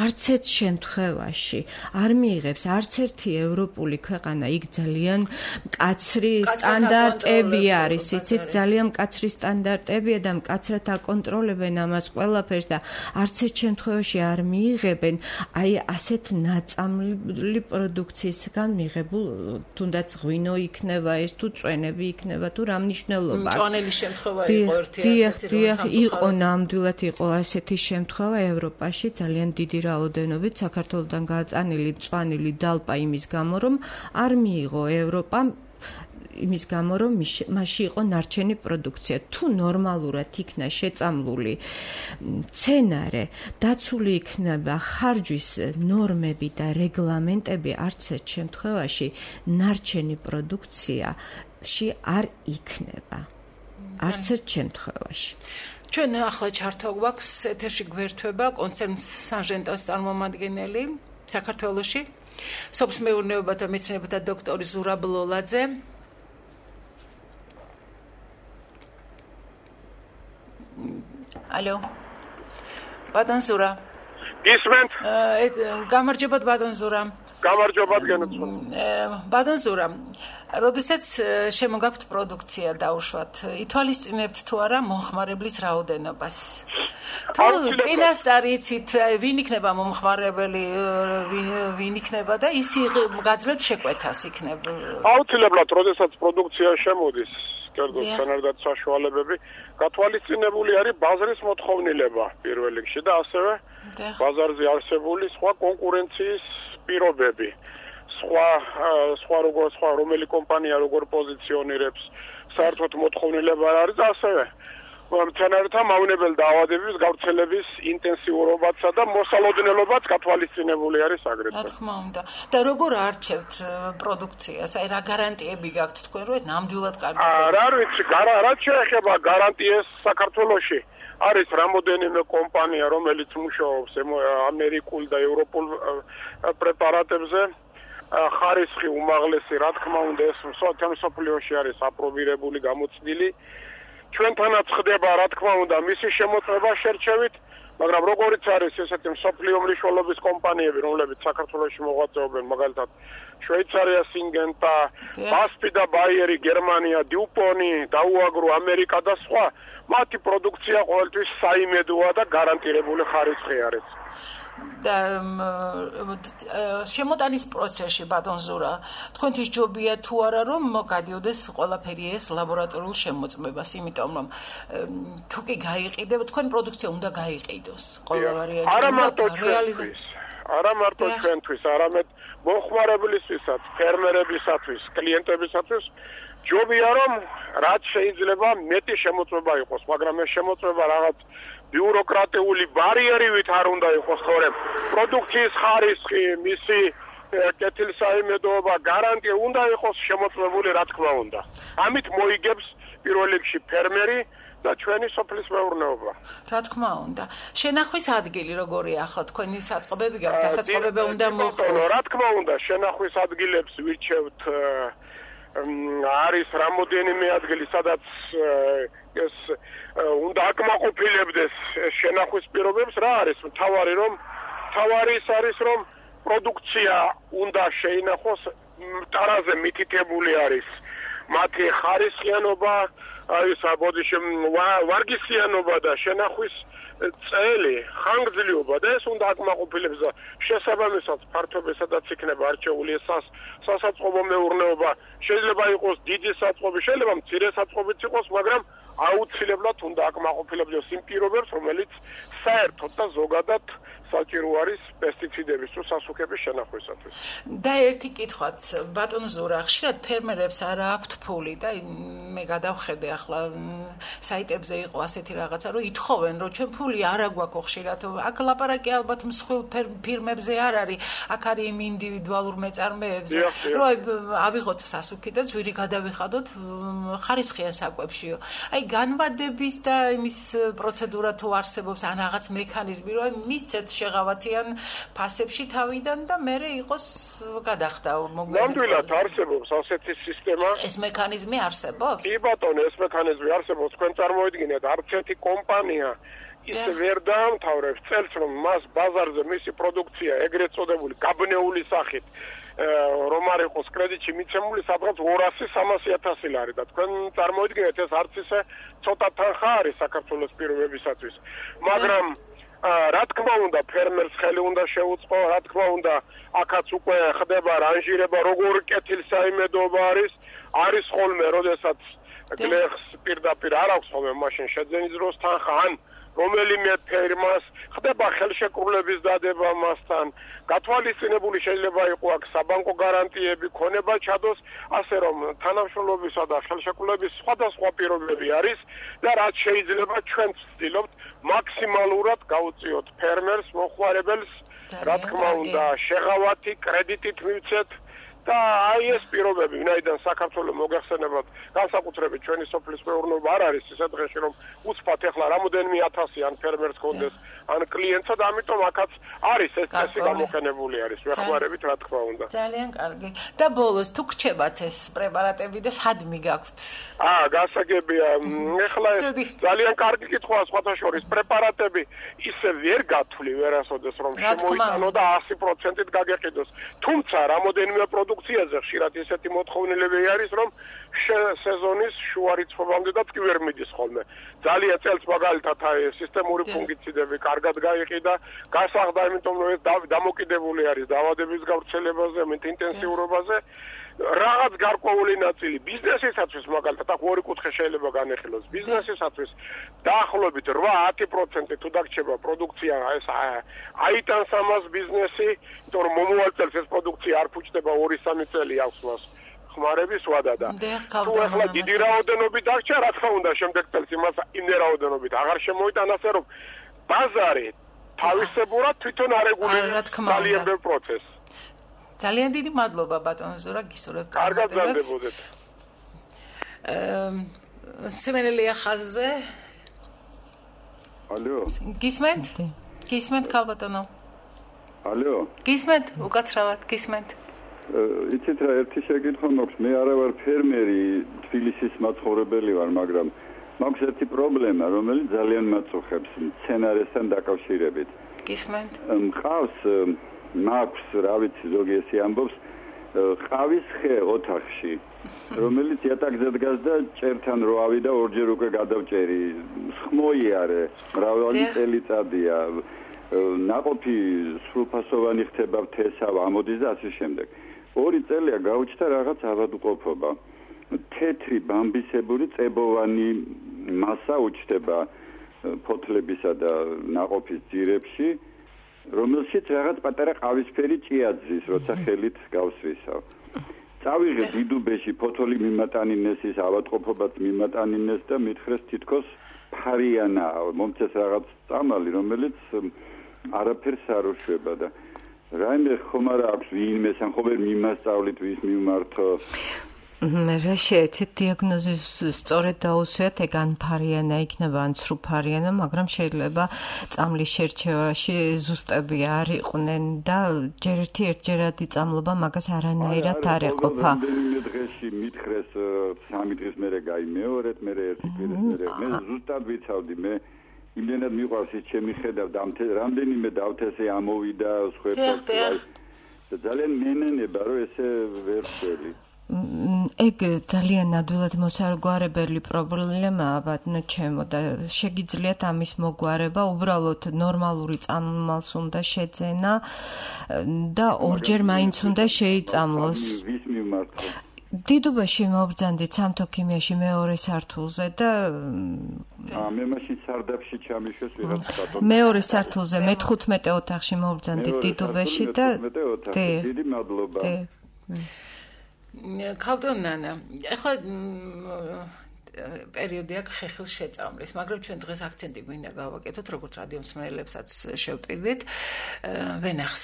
არც ერთ შემთხვევაში არ მიიღებს არც ერთი ევროპული ქვეყანა, იქ ძალიან მკაცრი სტანდარტები არის, იცით, ძალიან მკაცრი სტანდარტებია და მკაცრად აკონტროლებენ ამას ყველაფერს და არც ერთ შემთხვევაში არ მიიღებენ აი ასეთ ნაწამლი პროდუქციისგან მიღებულ, თუნდაც ღვინო იქნება ეს თუ წვენები იქნება თუ რა მნიშვნელობა. მწვანელი შემთხვევა იყო ერთი ასეთი, დიახ, იყო ნამდვილად იყო ასეთი შემთხვევა ევროპაში ძალიან დიდი რაოდენობით საქართველოსთან გაწანილი მწვანილი დალპა იმის გამო, რომ არ მიიღო ევროპამ იმის გამო, რომ მასში იყო ნარჩენი პროდუქცია. თუ ნორმალურად იქნა შეწამლული მცენარე, დაცული იქნება ხარჯვის ნორმები და რეგლამენტები, არც ერთ შემთხვევაში ნარჩენი პროდუქციაში არ იქნება. არც ერთ შემთხვევაში. ჩვენ ახლა ჩართვა გვაქვს ეთერში გვერდება კონცერნ სანჟენტას წარმომადგენელი საქართველოში, სოფლის მეურნეობათა მეცნიერებათა დოქტორი ზურაბ ლოლაძე. Алло. Бадан Зура. Ისმენთ? გამარჯობათ ბადან Ზურა. გამარჯობათ გენოცხო. ბადან Ზურა. როდესაც შემოგაქვთ პროდუქცია დაუშვათ, ითვალისწინებთ თუ არა მომხმარებლის რაოდენობას? თუ წინასწარი იცით, ვინ იქნება მომხმარებელი, ვინ იქნება და ის გაძლევთ შეკვეთას იქნება? აუცილებლად, როდესაც პროდუქცია შემოდის, კერძო სცენარდაც საშუალებები, გათვალისწინებული არის ბაზრის მოთხოვნილება პირველ რიგში და ასევე ბაზარზე არსებული სხვა კონკურენციის პირობები. სხვა სხვა როგორ სხვა რომელი კომპანია როგორ პოზიციონირებს, საერთოდ მოთხოვნილება არის და ასევე მცენარეთა მავნებელ დაავადების გავრცელების ინტენსიურობაცა და მოსალოდნელობაც გათვალისწინებული არის აგრეთვე. რა თქმა უნდა. და როგორ არჩევთ პროდუქციას? აი რა გარანტიები გაქვთ თქვენ, რომ ეს ნამდვილად კარგი პროდუქცია? რა ვიცი, რაც შეეხება გარანტიას საქართველოში, არის რამოდენიმე კომპანია, რომელიც მუშაობს ამერიკულ და ევროპულ პრეპარატებზე. ხარისხი უმაღლესი, რა თქმა უნდა, ეს მსოფლიოში არის აპრობირებული, გამოცდილი. ჩვენთანაც ხდება, რა თქმა უნდა, მისი შემოწმება შერჩევით, მაგრამ როგორიც არის ესეთი მსოფლიო მნიშვნელობის კომპანიები, რომლებიც საქართველოში მოღვაწეობენ, მაგალითად შვეიცარია, სინგენტა, ბასპი და ბაიერი, გერმანია, დიუპონი, დაუაგრო, ამერიკა და სხვა, მათი პროდუქცია ყოველთვის საიმედოა და გარანტირებული ხარისხი არის. და შემოტანის პროცესში ბატონ Ზურა, თქვენთვის ჯობია თუ არა რომ გადიოდეს ყველაფერი ეს ლაბორატორიულ შემოწმებას, იმიტომ რომ თუ კი გაიყიდება, თქვენ პროდუქცია უნდა გაიყიდოს ყველა ვარიანტი. არა მარტო ჩვენთვის, არა მარტო ჩვენთვის, არამედ მომხმარებლისთვისაც, ფერმერებისათვის, კლიენტებისათვის ჯობია რომ რაც შეიძლება მეტი შემოწმება იყოს, მაგრამ ეს შემოწმება რაღაც ბიუროკრატიული ბარიერივით არ უნდა იყოს, თორემ პროდუქციის ხარისხი, მისი კეთილსაიმედოობა, გარანტია უნდა იყოს შემოწმებული, რა თქმა უნდა. ამით მოიგებს პირველ რიგში ფერმერი და ჩვენი სოფლის მეურნეობა. რა თქმა უნდა. შენახვის ადგილი როგორია ახლა თქვენი საწყობები გაქვთ, დასაწყობები უნდა მოხდეს. რა თქმა უნდა, შენახვის ადგილებს ვირჩევთ არის რამოდენიმე ადგილი, სადაც ეს უნდა აკმაყოფილებდეს შენახვის პირობებს. რა არის მთავარი რომ მთავარი ის არის რომ პროდუქცია უნდა შეინახოს, ტარაზე მითითებული არის მათი ხარისხიანობა, აი საბოდიში ვარგისიანობა და შენახვის წელი, ხანგრძლივობა და ეს უნდა აკმაყოფილებს და შესაბამისად ფართობი სადაც იქნება არჩეული სასაწყობო მეურნეობა, შეიძლება იყოს დიდი საწყობი, შეიძლება მცირე საწყობიც იყოს, მაგრამ აუცილებლად უნდა აკმაყოფილებდეს იმ პირობებს, რომელიც საერთოდ და ზოგადად საჭირო არის პესტიციდების თუ სასუქების შენახვისათვის. და ერთი კითხვაც, ბატონ ზურა, ხშირად ფერმერებს არ აქვთ ფული და მე გადავხედე ახლა საიტებზე იყო ასეთი რაღაცა, რომ ითხოვენ, რომ ჩვენ ფული არ აგვაქვს ხშირად. აქ ლაპარაკი ალბათ მსხვილ ფირმებზე არ არის, აქ არის იმ ინდივიდუალურ მეწარმეებზე, რომ ავიღოთ სასუქი და ძვირი გადავიხადოთ ხარისხიან საკვებშიო. აი განვადების და იმის პროცედურა თუ არსებობს ან რაღაც მექანიზმი, რომ მისცეთ შეღავათიან ფასებში თავიდან და მერე იყოს გადახდა მოგვიანებით. ნამდვილად არსებობს ასეთი სისტემა. ეს მექანიზმი არსებობს? კი ბატონო, ეს მექანიზმი არსებობს. თქვენ წარმოიდგინეთ, არც ერთი კომპანია ისე ვერ დაამთავრებს წელს, რომ მას ბაზარზე მისი პროდუქცია ეგრეთ წოდებული გაბნეული სახით რომ არ იყოს კრედიტში მიცემული სადღაც ორასი სამასი ათასი ლარი და თქვენ წარმოიდგინეთ, ეს არც ისე ცოტა თანხა არის საქართველოს პირობებისათვის. მაგრამ რა თქმა უნდა ფერმერს ხელი უნდა შეუწყო, რა თქმა უნდა აქაც უკვე ხდება რანჟირება, როგორ კეთილსაიმედოობა არის, არის ხოლმე, როდესაც გლეხს პირდაპირ არ აქვს ხოლმე მაშინ შეძენის დროს თანხა, ან რომელიმე ფერმას ხდება ხელშეკრულების დადება მასთან, გათვალისწინებული შეიძლება იყო აქ საბანკო გარანტიები, ქონება ჩადოს, ასე რომ თანამშრომლობისა და ხელშეკრულების სხვადასხვა პირობები არის და რაც შეიძლება ჩვენ ვცდილობთ მაქსიმალურად გავუწიოთ ფერმერს, მოხმარებელს, რა თქმა უნდა, შეღავათი, კრედიტით მივცეთ და აი ეს პირობები, ვინაიდან საქართველოს მოგეხსენებათ, განსაკუთრებით ჩვენი სოფლის მეურნეობა არ არის ისე დღეში, რომ უცბად ეხლა რამოდენიმე ათასი ან ფერმერს კონდეს, ან კლიენტსა და ამიტომ აქაც არის ეს წესი გამოყენებული არის, ვეხმარებით რა თქმა უნდა. ძალიან კარგი. და ბოლოს თუ გრჩებათ ეს პრეპარატები და სად მიგაქვთ? აა, გასაგებია. ეხლა ძალიან კარგი კითხვაა სხვათა შორის. პრეპარატები ისე ვერ გათვლი ვერასოდეს რომ შემოიტანო და ასი პროცენტით გაგეყიდოს. თუმცა რამოდენიმე პროდუქციაზე ხშირად ისეთი მოთხოვნილები არის, რომ სეზონის შუა რიცხვებამდეც კი ვერ მიდის ხოლმე. ძალიან წელს მაგალითად აი სისტემური ფუნგიციდები კარგად გაიყიდა, გასაღდა, იმიტომ რომ ეს დამოკიდებული არის დაავადების გავრცელებაზე, ინტენსიურობაზე. რაღაც გარკვეული ნაწილი ბიზნესისათვის მაგალითად აქ ორი კუთხე შეიძლება განეხილოს. ბიზნესისათვის დაახლოებით რვა ათი პროცენტი თუ დაგრჩება პროდუქცია ეს აიტანს ამას ბიზნესი, იმიტომ რომ მომავალ წელს ეს პროდუქცია არ ფუჭდება ორი სამი წელი აქვს მას ხმარების ვადა და თუ ახლა დიდი რაოდენობით დაგჭა, რა თქმა უნდა შემდეგ წელს იმას იმდე რაოდენობით აღარ შემოიტან, ასე რომ ბაზარი თავისებურად თვითონ არეგულირებს ძალიან ბევრ პროცესს. ძალიან დიდი მადლობა ბატონ ზურა, გისურვებთ კარგად გაგდებოდეთ. აა სემენელია ხაზზე. ალო. გისმენთ? გისმენთ ქალბატონო. ალო. გისმენთ? უკაცრავად გისმენთ. იცით რა, ერთი შეკითხვა მაქვს, მე არა ვარ ფერმერი, თბილისის მაცხოვრებელი ვარ, მაგრამ მაქვს ერთი პრობლემა, რომელიც ძალიან მაწუხებს მცენარესთან დაკავშირებით. გისმენთ? მყავს მაქვს, რა ვიცი, ზოგი ესე ამბობს, ყავის ხე ოთახში, რომელიც იატაკზე დგას და ჭერთან რო ავიდა ორჯერ უკვე გადავჭერი. სხმოიარე, მრავალი წელიწადია. ნაყოფი სრულფასოვანი ხდება, თესავა ამოდის და ასე შემდეგ. ორი წელია გაუჩნდა რაღაც ავადმყოფობა. თეთრი ბამბისებური წებოვანი მასა უჩნდება ფოთლებისა და ნაყოფის ძირებში, რომელშიც რაღაც პატარა ყავისფერი ჭიაძის, როცა ხელით გავსვისავ. წავიღე დიდუბეში ფოთოლი მიმატანინეს, ის ავადმყოფობაც მიმატანინეს და მითხრეს თითქოს ფარიანაა, მომწეს რაღაც წამალი, რომელიც არაფერს არ უშვება და რაიმე ხომ არ აქვს ვინმე სამხობერ მიმასწავლით ვის მიმართო. რა შეეცით დიაგნოზის სწორედ დაუსვიათ, ეგ ან ფარიანა იქნება, ან სრუფარიანა, მაგრამ შეიძლება წამლის შერჩევაში ზუსტები არ იყვნენ და ჯერ ერთი ერთჯერადი წამლობა მაგას არანაირად არ ეყოფა. რამდენიმე დღეში მითხრეს სამი დღის მერე გაიმეორეთ, მერე ერთი კვირის მერე. მე ზუსტად ვიცავდი, მე იმდენად მიყვარს ის ჩემი ხედავ და რამდენიმე დავთესე ამოვიდა სხვერპლად. ძალიან მენენება, რომ ესე ვერ ვშელი. ეგ ძალიან ადვილად მოსარგვარებელი პრობლემაა, ბატონო ჩემო, და შეგიძლიათ ამის მოგვარება, უბრალოდ ნორმალური წამალს უნდა შეძენა და ორჯერ მაინც უნდა შეიწამლოს. ვის მიმართო? დიდუბაში მოვბრძანდით სამთო ქიმიაში მეორე სართულზე და აა მე მაშინ სარდაფში ჩამიშვეს ვიღაც ბატონი. მეორე სართულზე მეთხუთმეტე ოთახში მოვბრძანდით დიდუბაში და დიდი მადლობა. ქალბატონ ნანა, ახლა პერიოდი აქვს ხეხილს შეწამლის, მაგრამ ჩვენ დღეს აქცენტი გვინდა გავაკეთოთ, როგორც რადიო მსმენელებსაც შევპირდით, ვენახს.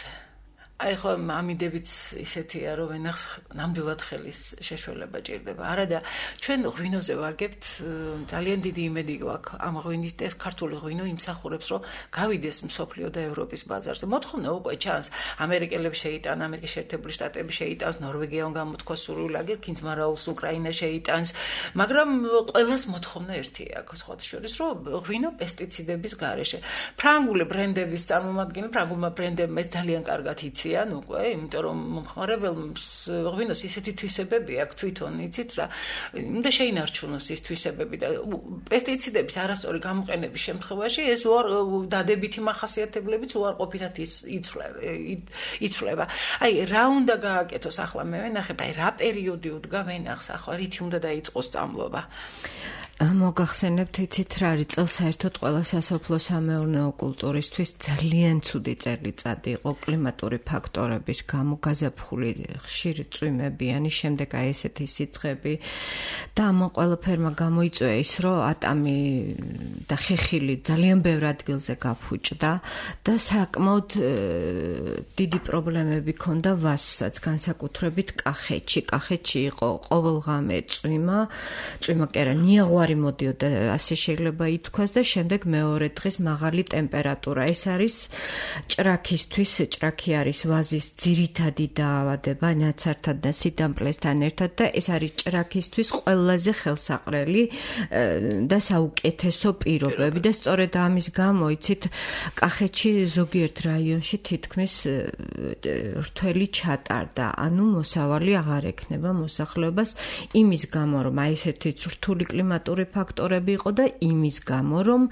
აი ხო ამიდებიც ისეთია რომ ვენახს ნამდვილად ხელის შეშველება ჭირდება. არა და ჩვენ ღვინოზე ვაგებთ ძალიან დიდი იმედი გვაქვს ამ ღვინის და ქართული ღვინო იმსახურებს რომ გავიდეს მსოფლიო და ევროპის ბაზარზე. მოთხოვნა უკვე ჩანს ამერიკელებს შეიტან, ამერიკის შეერთებული შტატები შეიტანს, ნორვეგიამ გამოთქვა სურვილად, კინძმარაულს უკრაინა შეიტანს, მაგრამ ყველას მოთხოვნა ერთი აქვს სხვათა შორის რომ ღვინო პესტიციდების გარეშე. ფრანგული ბრენდების წარმომადგენლები, ფრანგულმა ბრენდებმა ეს ძალიან კარგად იციან უკვე, იმიტომ რომ მომხმარებელს ღვინოს ისეთი თვისებები აქვს თვითონ იცით რა, უნდა შეინარჩუნოს ის თვისებები და პესტიციდების არასწორი გამოყენების შემთხვევაში ეს უარ დადებითი მახასიათებლებიც უარყოფითად იცვლება. აი რა უნდა გააკეთოს ახლა მე ვენახებ, აი რა პერიოდი უდგა ვენახს ახლა რითი უნდა დაიწყოს სწავლობა? მოგახსენებთ იცით რა არის წელს საერთოდ ყველა სასოფლო-სამეურნეო კულტურისთვის ძალიან ცუდი წელიწადი იყო კლიმატური ფაქტორების გამო გაზაფხული ხშირი წვიმებიანი, შემდეგ აი ესეთი სიცხები და ამ ყველაფერმა გამოიწვია ის რომ ატამი და ხეხილი ძალიან ბევრ ადგილზე გაფუჭდა და საკმაოდ დიდი პრობლემები ჰქონდა ვაზსაც, განსაკუთრებით კახეთში. კახეთში იყო ყოველღამე წვიმა, წვიმა კი არა, ნიაღვარი მოდიოდა, ასე შეიძლება ითქვას და შემდეგ მეორე დღეს მაღალი ტემპერატურა. ეს არის ჭრაქისთვის, ჭრაქი არის ვაზის ძირითადი დაავადება ნაცართან და სიდამპლესთან ერთად და ეს არის ჭრაქისთვის ყველაზე ხელსაყრელი და საუკეთესო პირობები და სწორედ ამის გამო იცით კახეთში ზოგიერთ რაიონში თითქმის რთველი ჩატარდა, ანუ მოსავალი აღარ ექნება მოსახლეობას იმის გამო რომ აი ესეთი რთული კლიმატური ფაქტორები იყო და იმის გამო რომ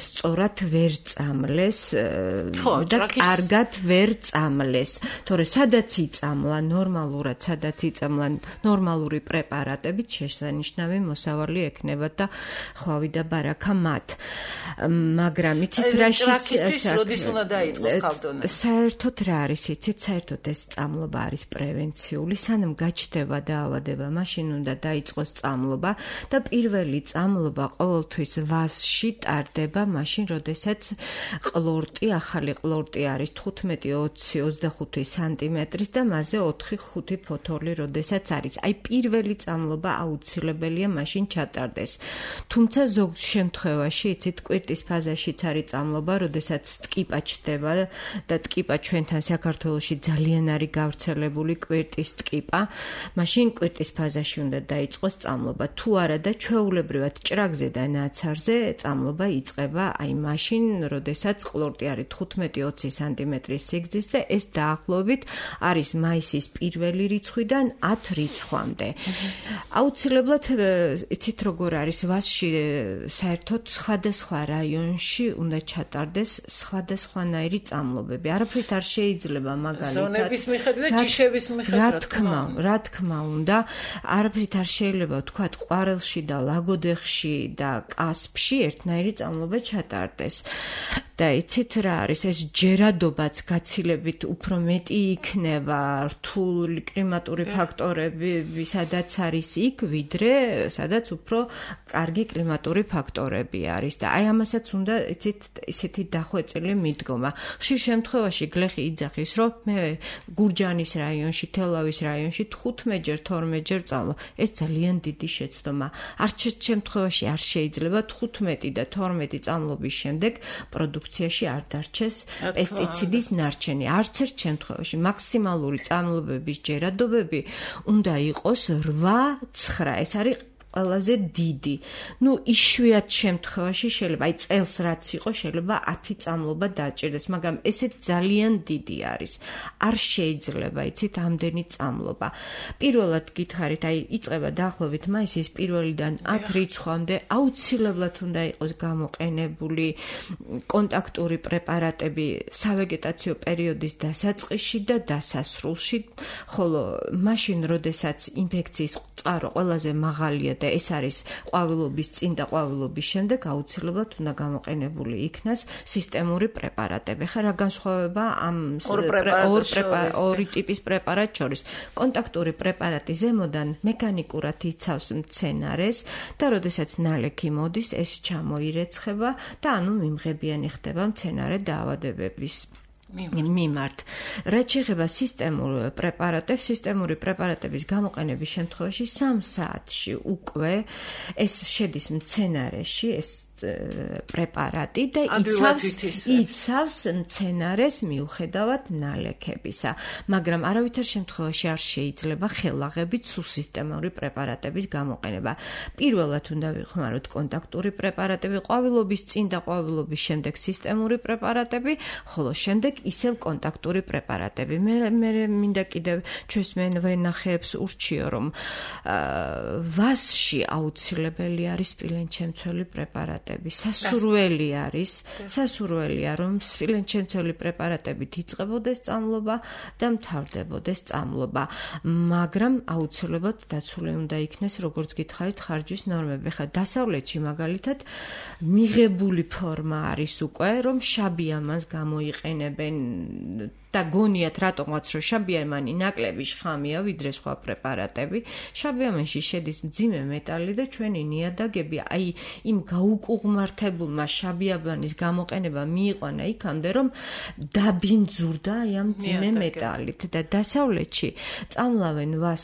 სწორად ვერ წამლეს და კარგად ვერ წამლეს. თორე სადაც იწამლა ნორმალურად, სადაც იწამლა ნორმალური პრეპარატებით შესანიშნავი მოსავალი ექნება და ხვავი და ბარაქა მათ. მაგრამ იცით რა ჭრაქისთვის როდის უნდა დაიწყოს ქალბატონო? საერთოდ რა არის იცით, საერთოდ ეს წამლობა არის პრევენციული, სანამ გაჩნდება დაავადება, მაშინ უნდა დაიწყოს წამლობა და პირველი წამლობა ყოველთვის ვაზში ტარდება მაშინ, როდესაც ყლორტი, ახალი ყლორტი არის თხუთმეტი, ოცი, ოცდახუთი სანტიმეტრის და მასზე ოთხი ხუთი ფოთოლი, როდესაც არის. აი პირველი წამლობა აუცილებელია მაშინ ჩატარდეს. თუმცა ზოგ შემთხვევაში იცით კვირტის ფაზაშიც არის წამლობა, როდესაც ტკიპა ჩდება და ტკიპა ჩვენთან საქართველოში ძალიან არის გავრცელებული კვირტის ტკიპა, მაშინ კვირტის ფაზაში უნდა დაიწყოს წამლობა. თუ არა და ჩვეულებრივად ჭრაგზე და ნაცარზე წამლობა იწყება აი მაშინ, როდესაც ყლორტი არის თხუთმეტი ოცი სანტიმეტრის სიგრძის და ეს დაახლოებით არის მაისის პირველი რიცხვიდან ათ რიცხვამდე. აუცილებლად იცით როგორ არის ვაზში საერთოდ სხვადასხვა რაიონში უნდა ჩატარდეს სხვადასხვანაირი წამლობები. არაფრით არ შეიძლება მაგალითად ზონების მიხედვით და ჯიშების მიხედვით. რა თქმა, რა თქმა უნდა, არაფრით არ შეიძლება ვთქვათ ყვარელში და ლაგოდეხში და კასპში ერთნაირი წამლობა ჩატარდეს. და იცით რა არის ეს ჯერადობაც გაცილებით უფრო მეტი იქნება რთული კლიმატური ფაქტორები, სადაც არის იქ, ვიდრე სადაც უფრო კარგი კლიმატური ფაქტორები არის და აი ამასაც უნდა იცით ისეთი დახვეწილი მიდგომა. ხშირ შემთხვევაში გლეხი იძახის, რომ მე გურჯაანის რაიონში, თელავის რაიონში თხუთმეტჯერ, თორმეტჯერ წამლობ. ეს ძალიან დიდი შეცდომა. არც ერთ შემთხვევაში არ შეიძლება თხუთმეტი და თორმეტი წამლობის შემდეგ პროდუქციაში არ დარჩეს პესტიციდის ნარჩენი. არც ერთ შემთხვევაში მაქსიმალური წამლობების ჯერადობები უნდა იყოს რვა ცხრა. ეს არის ყველაზე დიდი. ნუ იშვიათ შემთხვევაში შეიძლება, აი წელს რაც იყო, შეიძლება ათი წამლობა დაჭირდეს, მაგრამ ესეც ძალიან დიდი არის. არ შეიძლება, იცით, ამდენი წამლობა. პირველად გითხარით, აი იწყება დაახლოებით მაისის პირველიდან ათ რიცხვამდე აუცილებლად უნდა იყოს გამოყენებული კონტაქტური პრეპარატები სავეგეტაციო პერიოდის დასაწყისში და დასასრულში, ხოლო მაშინ, როდესაც ინფექციის წყარო ყველაზე მაღალია და ეს არის ყვავილობის წინ და ყვავილობის შემდეგ, აუცილებლად უნდა გამოყენებული იქნას სისტემური პრეპარატები. ხა რა განსხვავება ამ ორი ტიპის პრეპარატ შორის? კონტაქტური პრეპარატი ზემოდან მექანიკურად იცავს მცენარეს და როდესაც ნალექი მოდის, ეს ჩამოირეცხება და ანუ მიმღებიანი ხდება მცენარე დაავადებების მიმართ. რაც შეეხება სისტემურ პრეპარატებს, სისტემური პრეპარატების გამოყენების შემთხვევაში სამ საათში უკვე ეს შედის მცენარეში, ეს პრეპარატი და იცავს იცავს მცენარეს მიუხედავად ნალექებისა, მაგრამ არავითარ შემთხვევაში არ შეიძლება ხელაღებით სულ სისტემური პრეპარატების გამოყენება. პირველად უნდა ვიხმაროთ კონტაქტური პრეპარატები, ყვავილობის წინ და ყვავილობის შემდეგ სისტემური პრეპარატები, ხოლო შემდეგ ისევ კონტაქტური პრეპარატები. მე მე მინდა კიდევ ჩვენს ვენახეებს ურჩიო, რომ ვასში აუცილებელი არის სპილენჩემცველი პრეპარატი. სასურველი არის, სასურველია, რომ სპილენჩემცველი პრეპარატებით იწყებოდეს წამლობა და მთავრდებოდეს წამლობა, მაგრამ აუცილებლად დაცული უნდა იქნეს, როგორც გითხარით, ხარჯვის ნორმები. ხა დასავლეთში მაგალითად მიღებული ფორმა არის უკვე, რომ შაბიამანს გამოიყენებენ და გონიათ რატომაც რომ შაბიამანი ნაკლები შხამია ვიდრე სხვა პრეპარატები. შაბიამანში შედის მძიმე მეტალი და ჩვენი ნიადაგები აი იმ გაუკუღმართებულმა შაბიამანის გამოყენება მიიყვანა იქამდე, რომ დაბინძურდა აი ამ მძიმე მეტალით და დასავლეთში წამლავენ ვას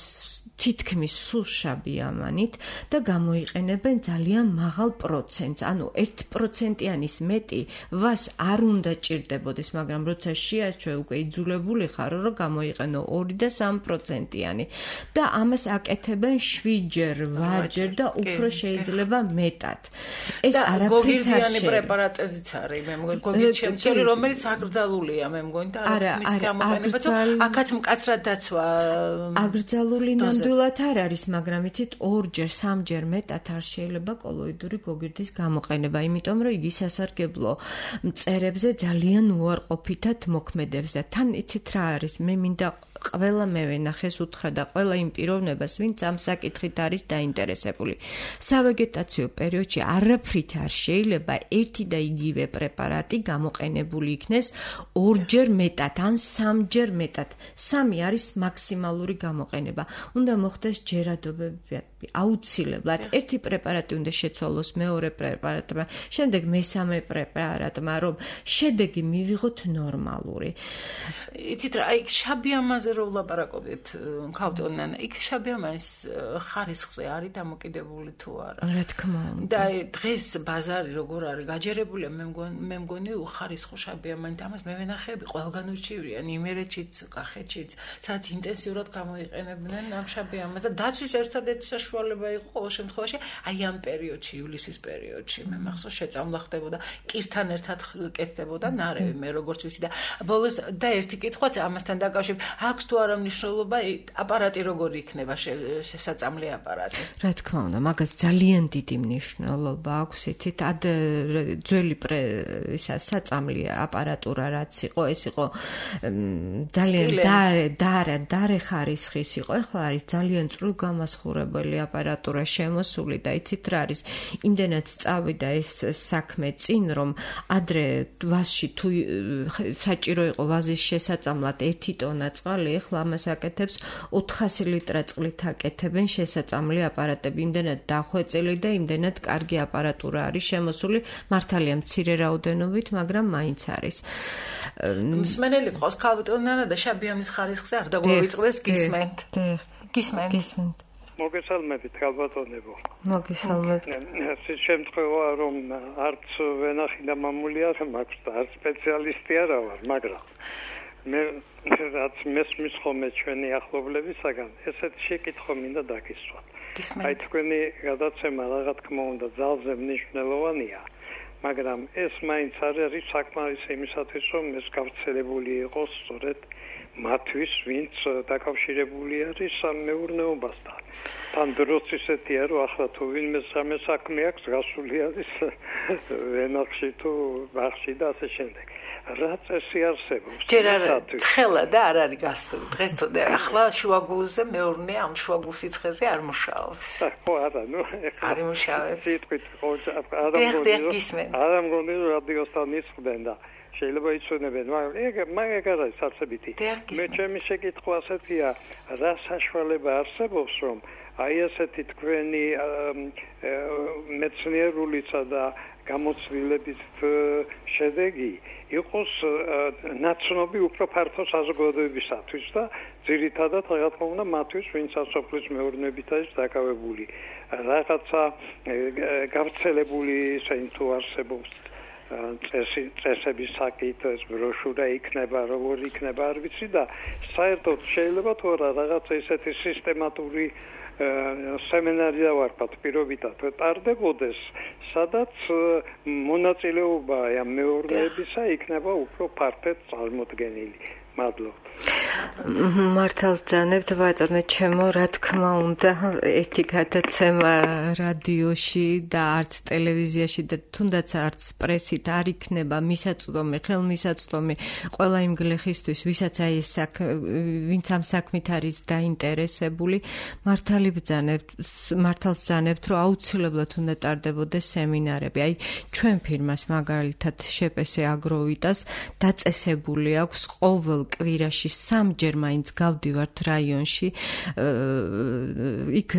თითქმის სულ შაბიამანით და გამოიყენებენ ძალიან მაღალ პროცენტს, ანუ ერთი პროცენტიანის მეტი ვას არ უნდა ჭირდებოდეს, მაგრამ როცა შეაჩვე უკვე იძულებული ხარო, რომ გამოიყენო ორი და სამი პროცენტიანი და ამას აკეთებენ შვიდჯერ, ვათჯერ და უფრო შეიძლება მეტად. ეს არაფრით არ გოგირდიანი პრეპარატებიც არის, მე მგონი, გოგირდიანი, რომელიც აკრძალულია, მე მგონი და არა მის გამოყენება, აქაც მკაცრად დაცვა. აკრძალული ნამდვილად არ არის, მაგრამ იცით, ორჯერ, სამჯერ მეტად არ შეიძლება კოლოიდური გოგირდის გამოყენება, იმიტომ რომ იგი სასარგებლო მწერებზე ძალიან უარყოფითად მოქმედებს და თან იცით რა არის, მე მინდა ყველა მე ვენახეს უთხრა და ყველა იმ პიროვნებას, ვინც ამ საკითხით არის დაინტერესებული. სავეგეტაციო პერიოდში არაფრით არ შეიძლება ერთი და იგივე პრეპარატი გამოყენებული იქნეს ორჯერ მეტად ან სამჯერ მეტად. სამი არის მაქსიმალური გამოყენება. უნდა მოხდეს ჯერადობები აუცილებლად. ერთი პრეპარატი უნდა შეცვალოს მეორე პრეპარატმა, შემდეგ მესამე პრეპარატმა, რომ შედეგი მივიღოთ ნორმალური. იცით რა, აი შაბიამანზე რო ვლაპარაკობთ, ქავტონანა, იქ შაბიამანის ხარისხზე არის დამოკიდებული თუ არა? რა თქმა უნდა. და დღეს ბაზარი როგორ არის გაჯერებულია, მე მგონი, მე მგონი უხარისხო შაბიამანი და ამას მე ვენახები ყველგან ურჩივრიან, იმერეთშიც, კახეთშიც, სადაც ინტენსიურად გამოიყენებდნენ ამ შაბიამანს და დაცვის ერთადერთი საშუალება იყო ყოველ შემთხვევაში აი ამ პერიოდში, ივლისის პერიოდში, მე მახსოვს შეწამლა ხდებოდა, კირთან ერთად კეთდებოდა ნარევი, მე როგორც ვიცი და ბოლოს და ერთი კითხვაც ამასთან დაკავშირებით, აქვს თუ არა მნიშვნელობა აპარატი როგორი იქნება შესაწამლი აპარატი? რა თქმა უნდა, მაგას ძალიან დიდი მნიშვნელობა აქვს, იცით, ად ძველი ისა საწამლი აპარატურა რაც იყო, ეს იყო ძალიან დარე, დარე, დარე ხარისხის იყო. ეხლა არის ძალიან წვრილგამასხურებელი აპარატურა შემოსული და იცით რა არის, იმდენად წავიდა ეს საქმე წინ, რომ ადრე ვასში თუ საჭირო იყო ვაზის შესაწამლად ერთი ტონა წყალი, ეხლა ამას აკეთებს ოთხასი ლიტრა წყლით აკეთებენ შესაწამლი აპარატები. იმდენად დახვეწილი და იმდენად კარგი აპარატურა არის შემოსული, მართალია მცირე რაოდენობით, მაგრამ მაინც არის. მსმენელი ყავს ქავტონანა და შაბიამანის ხარისხზე არ დაგვივიწყდეს გისმენთ. გისმენთ. გისმენთ. მოგესალმებით, ქალბატონებო. მოგესალმებით. ეს შემთხვევა, რომ არც ვენახი და მამული არ მაქვს და არც სპეციალისტი არა ვარ, მაგრამ მე რაც მესმის ხოლმე ჩვენი ახლობლებისაგან, ესეთ შეკითხვა მინდა დაგისვათ. აი თქვენი გადაცემა რა თქმა უნდა ძალზე მნიშვნელოვანია, მაგრამ ეს მაინც არ არის საკმარისი იმისათვის, რომ ეს გავრცელებული იყოს სწორედ მათთვის, ვინც დაკავშირებული არის მეურნეობასთან. თან დროს ისეთია, რომ ახლა თუ ვინმე სამე საქმე აქვს, გასული არის ვენახში თუ ბაღში და ასე შემდეგ. რა წესი არსებობს? ჯერ არ ცხელა და არ არის გასული. დღეს ახლა შუაგულზე მეურნე ამ შუაგულ სიცხეზე არ მუშაობს. ხო, არა, ნუ არ მუშაობს. სიტყვით ხო, არ ამგონი რომ რადიოსთან ისხდნენ და შეიძლება იცოდნენ, მაგრამ ეგ მაგ არის არცებითი. მე ჩემი შეკითხვა ასეთია, რა საშუალება არსებობს, რომ აი ასეთი თქვენი მეცნიერულისა და გამოცდილების შედეგი იყოს ნაცნობი უფრო ფართო საზოგადოებისათვის და ძირითადად რა თქმა უნდა მათთვის, ვინც სასოფლის მეურნეობით არის დაკავებული. რაღაცა გავრცელებული ისინი თუ არსებობს წესი წესების საკითხის ბროშურა იქნება, როგორ იქნება არ ვიცი და საერთოდ შეიძლება თუ არა რაღაცა ისეთი სისტემატური სემინარი დავარქვათ პირობითად ტარდებოდეს, სადაც მონაწილეობა ამ მეურნეობისა იქნება უფრო ფართოდ წარმოდგენილი. მადლობ. მართალ ძანებთ ბატონო ჩემო, რა თქმა უნდა, ერთი გადაცემა რადიოში და არც ტელევიზიაში და თუნდაც არც პრესით არ იქნება მისაწვდომი, ხელმისაწვდომი ყველა იმ გლეხისთვის, ვისაც აი ეს ვინც ამ საქმით არის დაინტერესებული, მართალი ბძანებთ, მართალ ბძანებთ, რომ აუცილებლად უნდა ტარდებოდეს სემინარები. აი ჩვენ ფირმას მაგალითად შეპესე აგროვიტას დაწესებული აქვს ყოველ კვირაში სამჯერ მაინც გავდივართ რაიონში, იქ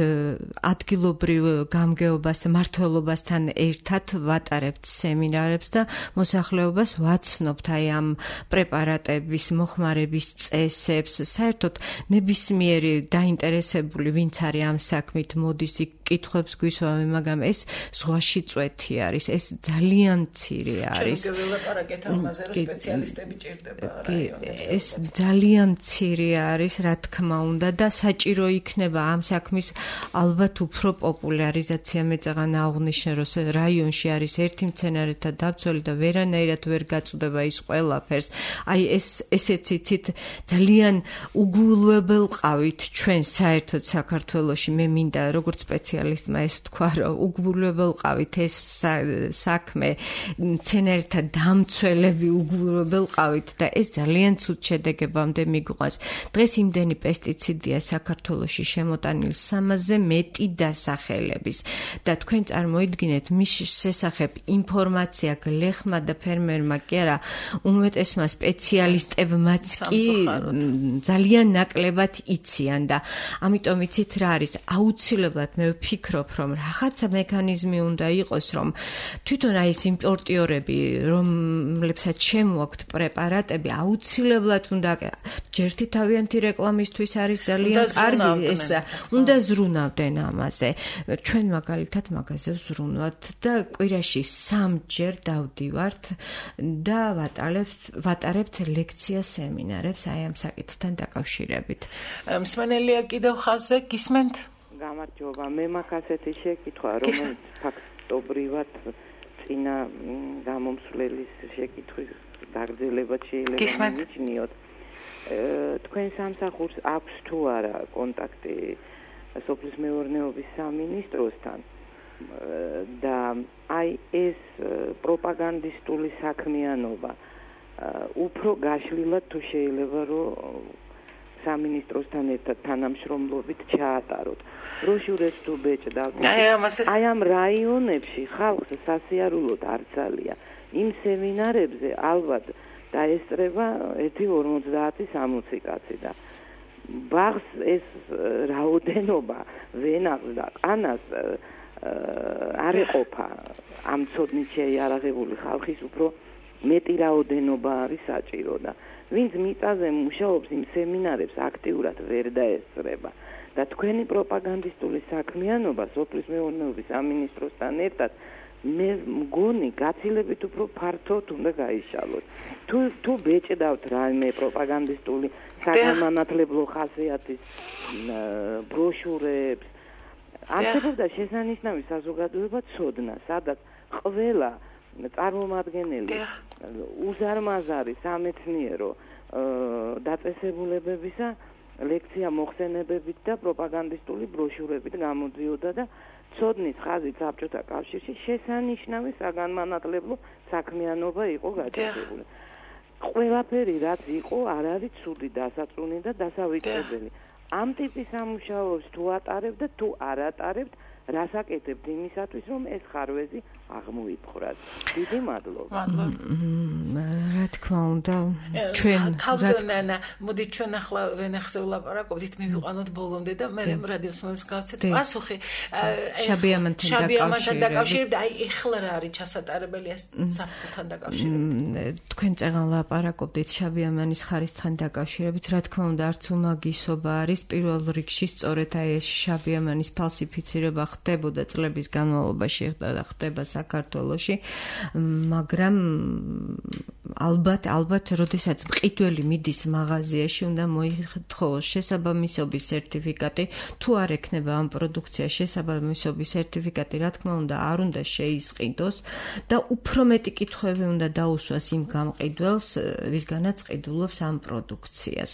ადგილობრივ გამგეობასთან, მმართველობასთან ერთად ვატარებთ სემინარებს და მოსახლეობას ვაცნობთ აი ამ პრეპარატების მოხმარების წესებს. საერთოდ ნებისმიერი დაინტერესებული, ვინც არის ამ საქმით, მოდის იქ კითხვებს გვისვამე, მაგრამ ეს ზღვაში წვეთი არის, ეს ძალიან მცირე არის. ჩვენ გველაპარაკეთ ამაზე, რომ სპეციალისტები ჭირდება რაიონებში. ეს ძალიან მცირე არის, რა თქმა უნდა და საჭირო იქნება ამ საქმის ალბათ უფრო პოპულარიზაცია. მე წაღან აღვნიშნე, რომ რაიონში არის ერთი მცენარეთა დაბრძოლი და ვერანაირად ვერ გაწუდება ის ყველაფერს. აი ეს ესეც იცით ძალიან უგულებელ ყავით ჩვენ საერთოდ საქართველოში. მე მინდა როგორც სპეციალისტმა ეს თქვა, რომ უგულებელ ყავით ეს საქმე, მცენარეთა დამცველები უგულებელ ყავით და ეს ძალიან ცუდ შედეგებამდე მიგვყავს. დღეს იმდენი პესტიციდია საქართველოში შემოტანილი სამასზე მეტი დასახელების და თქვენ წარმოიდგინეთ მის შესახებ ინფორმაცია გლეხმა და ფერმერმა კი არა, უმეტესმა სპეციალისტებმაც კი ძალიან ნაკლებად იციან და ამიტომ იცით რა არის, აუცილებლად მე ვფიქრობ, რომ რაღაცა მექანიზმი უნდა იყოს, რომ თვითონ აი ეს იმპორტიორები, რომლებსაც შემოაქვთ პრეპარატები, აუცილებლად უნდა ჯერთი თავიანთი რეკლამისთვის არის ძალიან კარგი ეს, უნდა ზრუნავდნენ ამაზე. ჩვენ მაგალითად მაგაზე ვზრუნვათ და კვირაში სამჯერ დავდივართ და ვატარებთ ლექცია სემინარებს აი ამ საკითხთან დაკავშირებით. მსმენელია კიდევ ხაზზე, გისმენთ? გამარჯობა, მე მაქვს ასეთი შეკითხვა, რომელიც ფაქტობრივად წინა გამომსვლელის შეკითხვის გაგრძელებად შეიძლება მიჩნიოთ. თქვენ სამსახურს აქვს თუ არა კონტაქტი სოფლის მეურნეობის სამინისტროსთან და აი ეს პროპაგანდისტული საქმიანობა უფრო გაშლილად თუ შეიძლება რომ სამინისტროსთან ერთად თანამშრომლობით ჩაატაროთ. ბროშურებს თუ ბეჭდავთ, აი ამ რაიონებში ხალხს სასიარულოდ არ ძალია. იმ სემინარებზე ალბათ დაესწრება ერთი ორმოცდაათი სამოცი კაცი და ბაღს ეს რაოდენობა ვენახს და ყანას არ ეყოფა ამ ცოდნით შეიარაღებული ხალხის უფრო მეტი რაოდენობა არის საჭირო და ვინც მიწაზე მუშაობს იმ სემინარებს აქტიურად ვერ დაესწრება და თქვენი პროპაგანდისტული საქმიანობა სოფლის მეურნეობის სამინისტროსთან ერთად მე მგონი გაცილებით უფრო ფართოდ უნდა გაიშალოს. თუ თუ ბეჭდავთ რაიმე პროპაგანდისტული საგანმანათლებლო ხასიათის ბროშურებს, არსებობდა შესანიშნავი საზოგადოება ცოდნა, სადაც ყველა წარმომადგენელი უზარმაზარი სამეცნიერო დაწესებულებებისა ლექცია მოხსენებებით და პროპაგანდისტული ბროშურებით გამოდიოდა და ცოდნის ხაზით საბჭოთა კავშირში შესანიშნავი საგანმანათლებლო საქმიანობა იყო გაჩაღებული. ყველაფერი რაც იყო არ არის ცუდი, დასაწუნი და დასავიწყებელი. ამ ტიპის სამუშაოებს თუ ატარებთ და თუ არ ატარებთ, რას აკეთებთ იმისათვის, რომ ეს ხარვეზი აღმოიფხვრათ. დიდი მადლობა. რა თქმა უნდა, ჩვენ თავდანა, მოდით ჩვენ ახლა ვენახზე ვლაპარაკობთ, მივიყვანოთ ბოლომდე და მე რადიოს მომს გავცეთ პასუხი. შაბიამანთან დაკავშირებით, აი ეხლა რა არის ჩასატარებელი ეს საფრთხთან დაკავშირებით. თქვენ წეგან ლაპარაკობდით შაბიამანის ხარისთან დაკავშირებით, რა თქმა უნდა, არც უმაგისობა არის პირველ რიგში სწორედ აი ეს შაბიამანის ფალსიფიცირება ხდებოდა წლების განმავლობაში და ხდება საქართველოში, მაგრამ ალბათ, ალბათ, როდესაც მყიდველი მიდის მაღაზიაში, უნდა მოითხოვოს შესაბამისობის სერტიფიკატი, თუ არ ექნება ამ პროდუქციაში შესაბამისობის სერტიფიკატი, რა თქმა უნდა, არ უნდა შეისყიდოს და უფრო მეტი კითხვები უნდა დაუსვას იმ გამყიდველს, ვისგანაც ყიდულობს ამ პროდუქციას.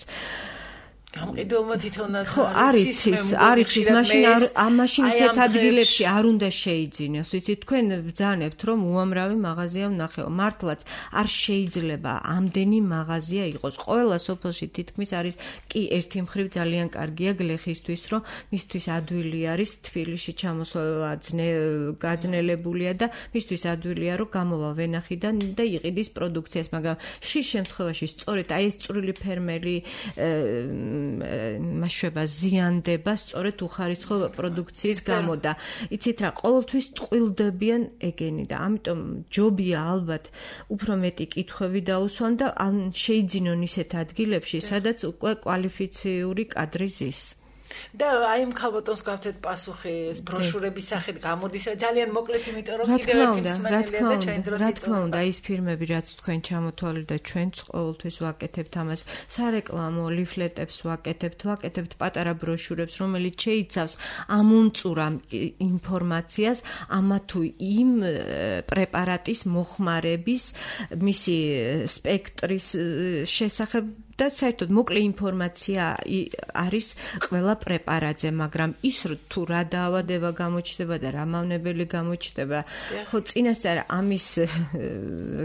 გამყიდველმა თვითონაც ხო, არის ის, არის ის, მაშინ ამ მაშინ ისეთ ადგილებში არ უნდა შეიძინოს. იცით, თქვენ ბრძანებთ, რომ უამრავი მაღაზია ვნახეო. მართლაც არ შეიძლება ამდენი მაღაზია იყოს. ყველა სოფელში თითქმის არის კი ერთი მხრივ ძალიან კარგია გლეხისთვის, რომ მისთვის ადვილი არის თბილისში ჩამოსვლა გაძნელებულია და მისთვის ადვილია, რომ გამოვა ვენახიდან და იყიდის პროდუქციას, მაგრამ შის შემთხვევაში სწორედ აი ეს წვრილი ფერმერი მასშტაბა ზიანდება სწორედ უხარისხო პროდუქციის გამო და იცით რა, ყოველთვის ტყუილდებიან ეგენი და ამიტომ ჯობია ალბათ უფრო მეტი კითხვები დაუსვან და შეიძინონ ისეთ ადგილებში, სადაც უკვე კვალიფიციური კადრი ზის. და აი ამ ქალბატონს გავცეთ პასუხი ეს ბროშურების სახით გამოდის რა ძალიან მოკლედ, იმიტომ რომ კიდევ ერთი მსმენელია და ჩვენ დროც რა თქმა უნდა, ის ფილმები რაც თქვენ ჩამოთვალეთ და ჩვენც ყოველთვის ვაკეთებთ ამას, სარეკლამო ლიფლეტებს ვაკეთებთ, ვაკეთებთ პატარა ბროშურებს, რომელიც შეიცავს ამუნწურ ინფორმაციას ამა თუ იმ პრეპარატის მოხმარების, მისი სპექტრის შესახებ და საერთოდ მოკლე ინფორმაცია არის ყველა პრეპარატზე, მაგრამ ის თუ რა დაავადება გამოჩნდება და რა მავნებელი გამოჩნდება, ხო წინასწარ ამის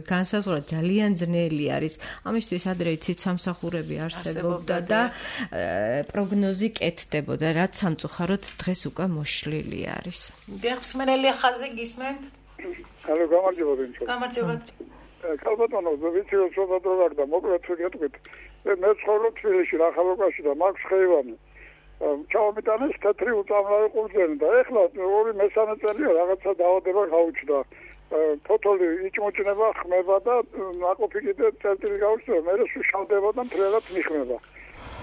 განსაზღვრა ძალიან ძნელი არის. ამისთვის ადრე იცით სამსახურები არსებობდა და პროგნოზი კეთდებოდა, რაც სამწუხაროდ დღეს უკვე მოშლილი არის. დიახ, მსმენელი ხაზი გისმენთ? ჰალო, გამარჯობა ბინჩო. გამარჯობა. ქალბატონო, ვიცი რომ ცოტა დრო გაგდა, მოკლედ შეგეთქვით. მე ცხოვრობ თბილისში, რახალოკაში და მაქვს ხეივანი. ჩავმიტანეს თეთრი უწამლავი ყურძენი და ეხლა ორი მესამე წელია რაღაცა დაავადება გაუჩნდა. ფოთოლი იჭმოჭნება, ხმება და ნაყოფი კიდე წერტილი გაუჩნდა, მე შევდება და მთლიანად მიხმება.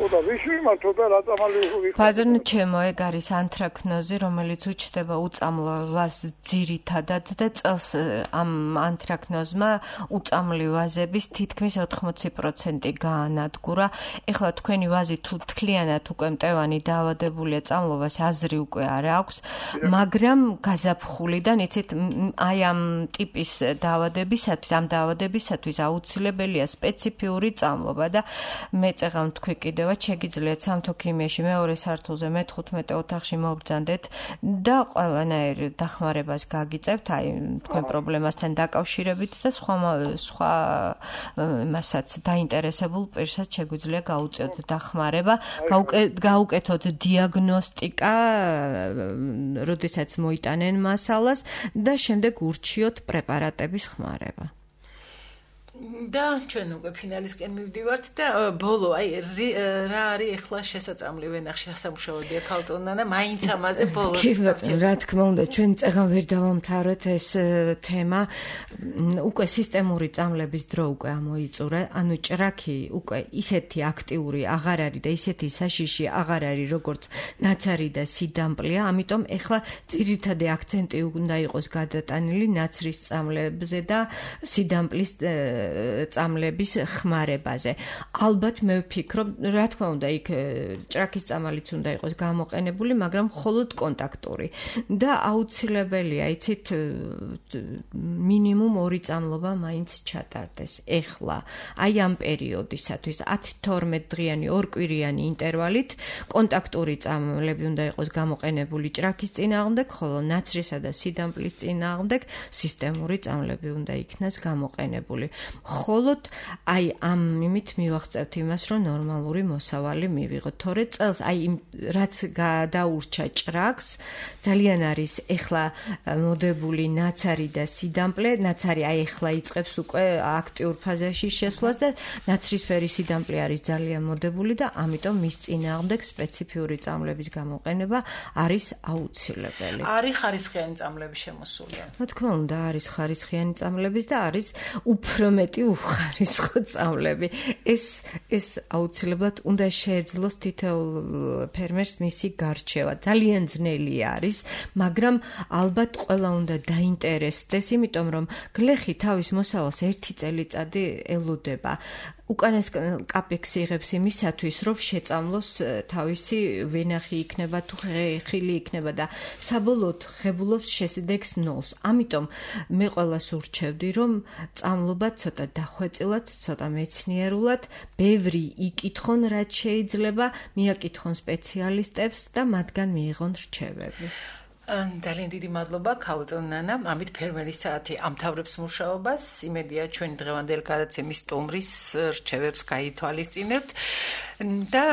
და ვიში მართო და რა წამალი ვიხო. ბაზარნ ჩემო, ეგ არის ანთრაკნოზი, რომელიც უჩნდება უწამლოვას ძირითადად და წელს ამ ანთრაკნოზმა უწამლი ვაზების თითქმის ოთხმოცი პროცენტი გაანადგურა. ეხლა თქვენი ვაზი თუ თლიანად უკვე მტევანი დაავადებულია წამლოვას, აზრი უკვე არ აქვს, მაგრამ გაზაფხულიდან იცით აი ამ ტიპის დაავადებისათვის, ამ დაავადებისათვის აუცილებელია სპეციფიური წამლობა და მე წეღავ თქვი კიდევ შეგიძლიათ სამთო ქიმიაში მეორე სართულზე მეთხუთმეტე ოთახში მობრძანდეთ და ყველანაირ დახმარებას გაგიწევთ აი თქვენ პრობლემასთან დაკავშირებით და სხვა სხვა მასაც დაინტერესებულ პირსაც შეგვიძლია გაუწიოთ დახმარება, გაუკეთოთ დიაგნოსტიკა, როდესაც მოიტანენ მასალას და შემდეგ ურჩიოთ პრეპარატების ხმარება. და ჩვენ უკვე ფინალისკენ მივდივართ და ბოლო აი რა არის ახლა შესაძლებელი ვენახში სამუშაოდია ქალტონანა მაინც ამაზე ბოლოს რა თქმა უნდა ჩვენ წეგან ვერ დავამთავრეთ ეს თემა უკვე სისტემური წამლების დრო უკვე ამოიწურა ანუ ჭრაქი უკვე ისეთი აქტიური აღარ არის და ისეთი საშიში აღარ არის როგორც ნაცარი და სიდამპლია ამიტომ ახლა ძირითადი აქცენტი უნდა იყოს გადატანილი ნაცრის წამლებზე და სიდამპლის წამლების ხმარებაზე. ალბათ მე ვფიქრობ, რა თქმა უნდა, იქ ჭრაქის წამალიც უნდა იყოს გამოყენებული, მაგრამ მხოლოდ კონტაქტური და აუცილებელია, იცით, მინიმუმ ორი წამლობა მაინც ჩატარდეს. ეხლა, აი ამ პერიოდისათვის ათი თორმეტ დღიანი ორკვირიანი ინტერვალით კონტაქტური წამლები უნდა იყოს გამოყენებული ჭრაქის წინააღმდეგ, ხოლო ნაცრისა და სიდამპლის წინააღმდეგ სისტემური წამლები უნდა იქნას გამოყენებული. მხოლოდ აი ამ მიმით მივახცევთ იმას, რომ ნორმალური მოსავალი მივიღოთ. თორე წელს აი რაც გადაურჩა ჭრაქს, ძალიან არის ეხლა მოდებული ნაცარი და სიდამპლე, ნაცარი აი ეხლა იწყებს უკვე აქტიურ ფაზაში შესვლას და ნაცრისფერი სიდამპლე არის ძალიან მოდებული და ამიტომ მის წინააღმდეგ სპეციფიური წამლების გამოყენება არის აუცილებელი. არის ხარისხიანი წამლები შემოსული? რა თქმა უნდა, არის ხარისხიანი წამლების და არის უფრო მეტი უხარისხო წამლები. ეს ეს აუცილებლად უნდა შეეძლოს თითოეულ ფერმერს მისი გარჩევა. ძალიან ძნელი არის, მაგრამ ალბათ ყველა უნდა დაინტერესდეს, იმიტომ რომ გლეხი თავის მოსავალს ერთი წელიწადი ელოდება. უკანეს კაპექსი იღებს იმისათვის, რომ შეწამლოს თავისი ვენახი იქნება თუ ხილი იქნება და საბოლოოდ ღებულობს შესიდეგს ნოლს. ამიტომ მე ყველას ურჩევდი, რომ წამლობა ცოტა დახვეწილად, ცოტა მეცნიერულად, ბევრი იკითხონ, რაც შეიძლება, მიაკითხონ სპეციალისტებს და მათგან მიიღონ რჩევები. ძალიან დიდი მადლობა ქაუტონ ნანა. ამით ფერმერის საათი ამთავრებს მუშაობას. იმედია ჩვენი დღევანდელი გადაცემის სტუმრის რჩევებს გაითვალისწინებთ და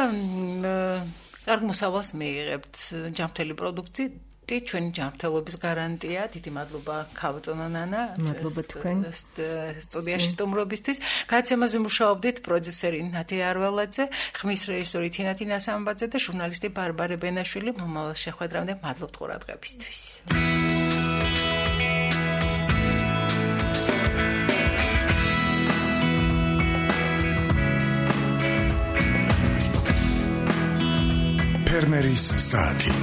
კარგ მოსავალს მიიღებთ. ჯანმრთელი პროდუქცია ჩვენი ჯანმრთელობის გარანტია. დიდი მადლობა ქაუტონ ნანა. მადლობა თქვენ სტუდიაში სტუმრობისთვის. გადაცემაზე მუშაობდით პროდიუსერი ნათია არველაძე, ხმის რეჟისორი თინათი ნასამბაძე და ჟურნალისტი ბარბარე ბენაშვილი. მომავალ შეხვედრამდე მადლობთ ყურადღებისთვის. ფერმერის საათი.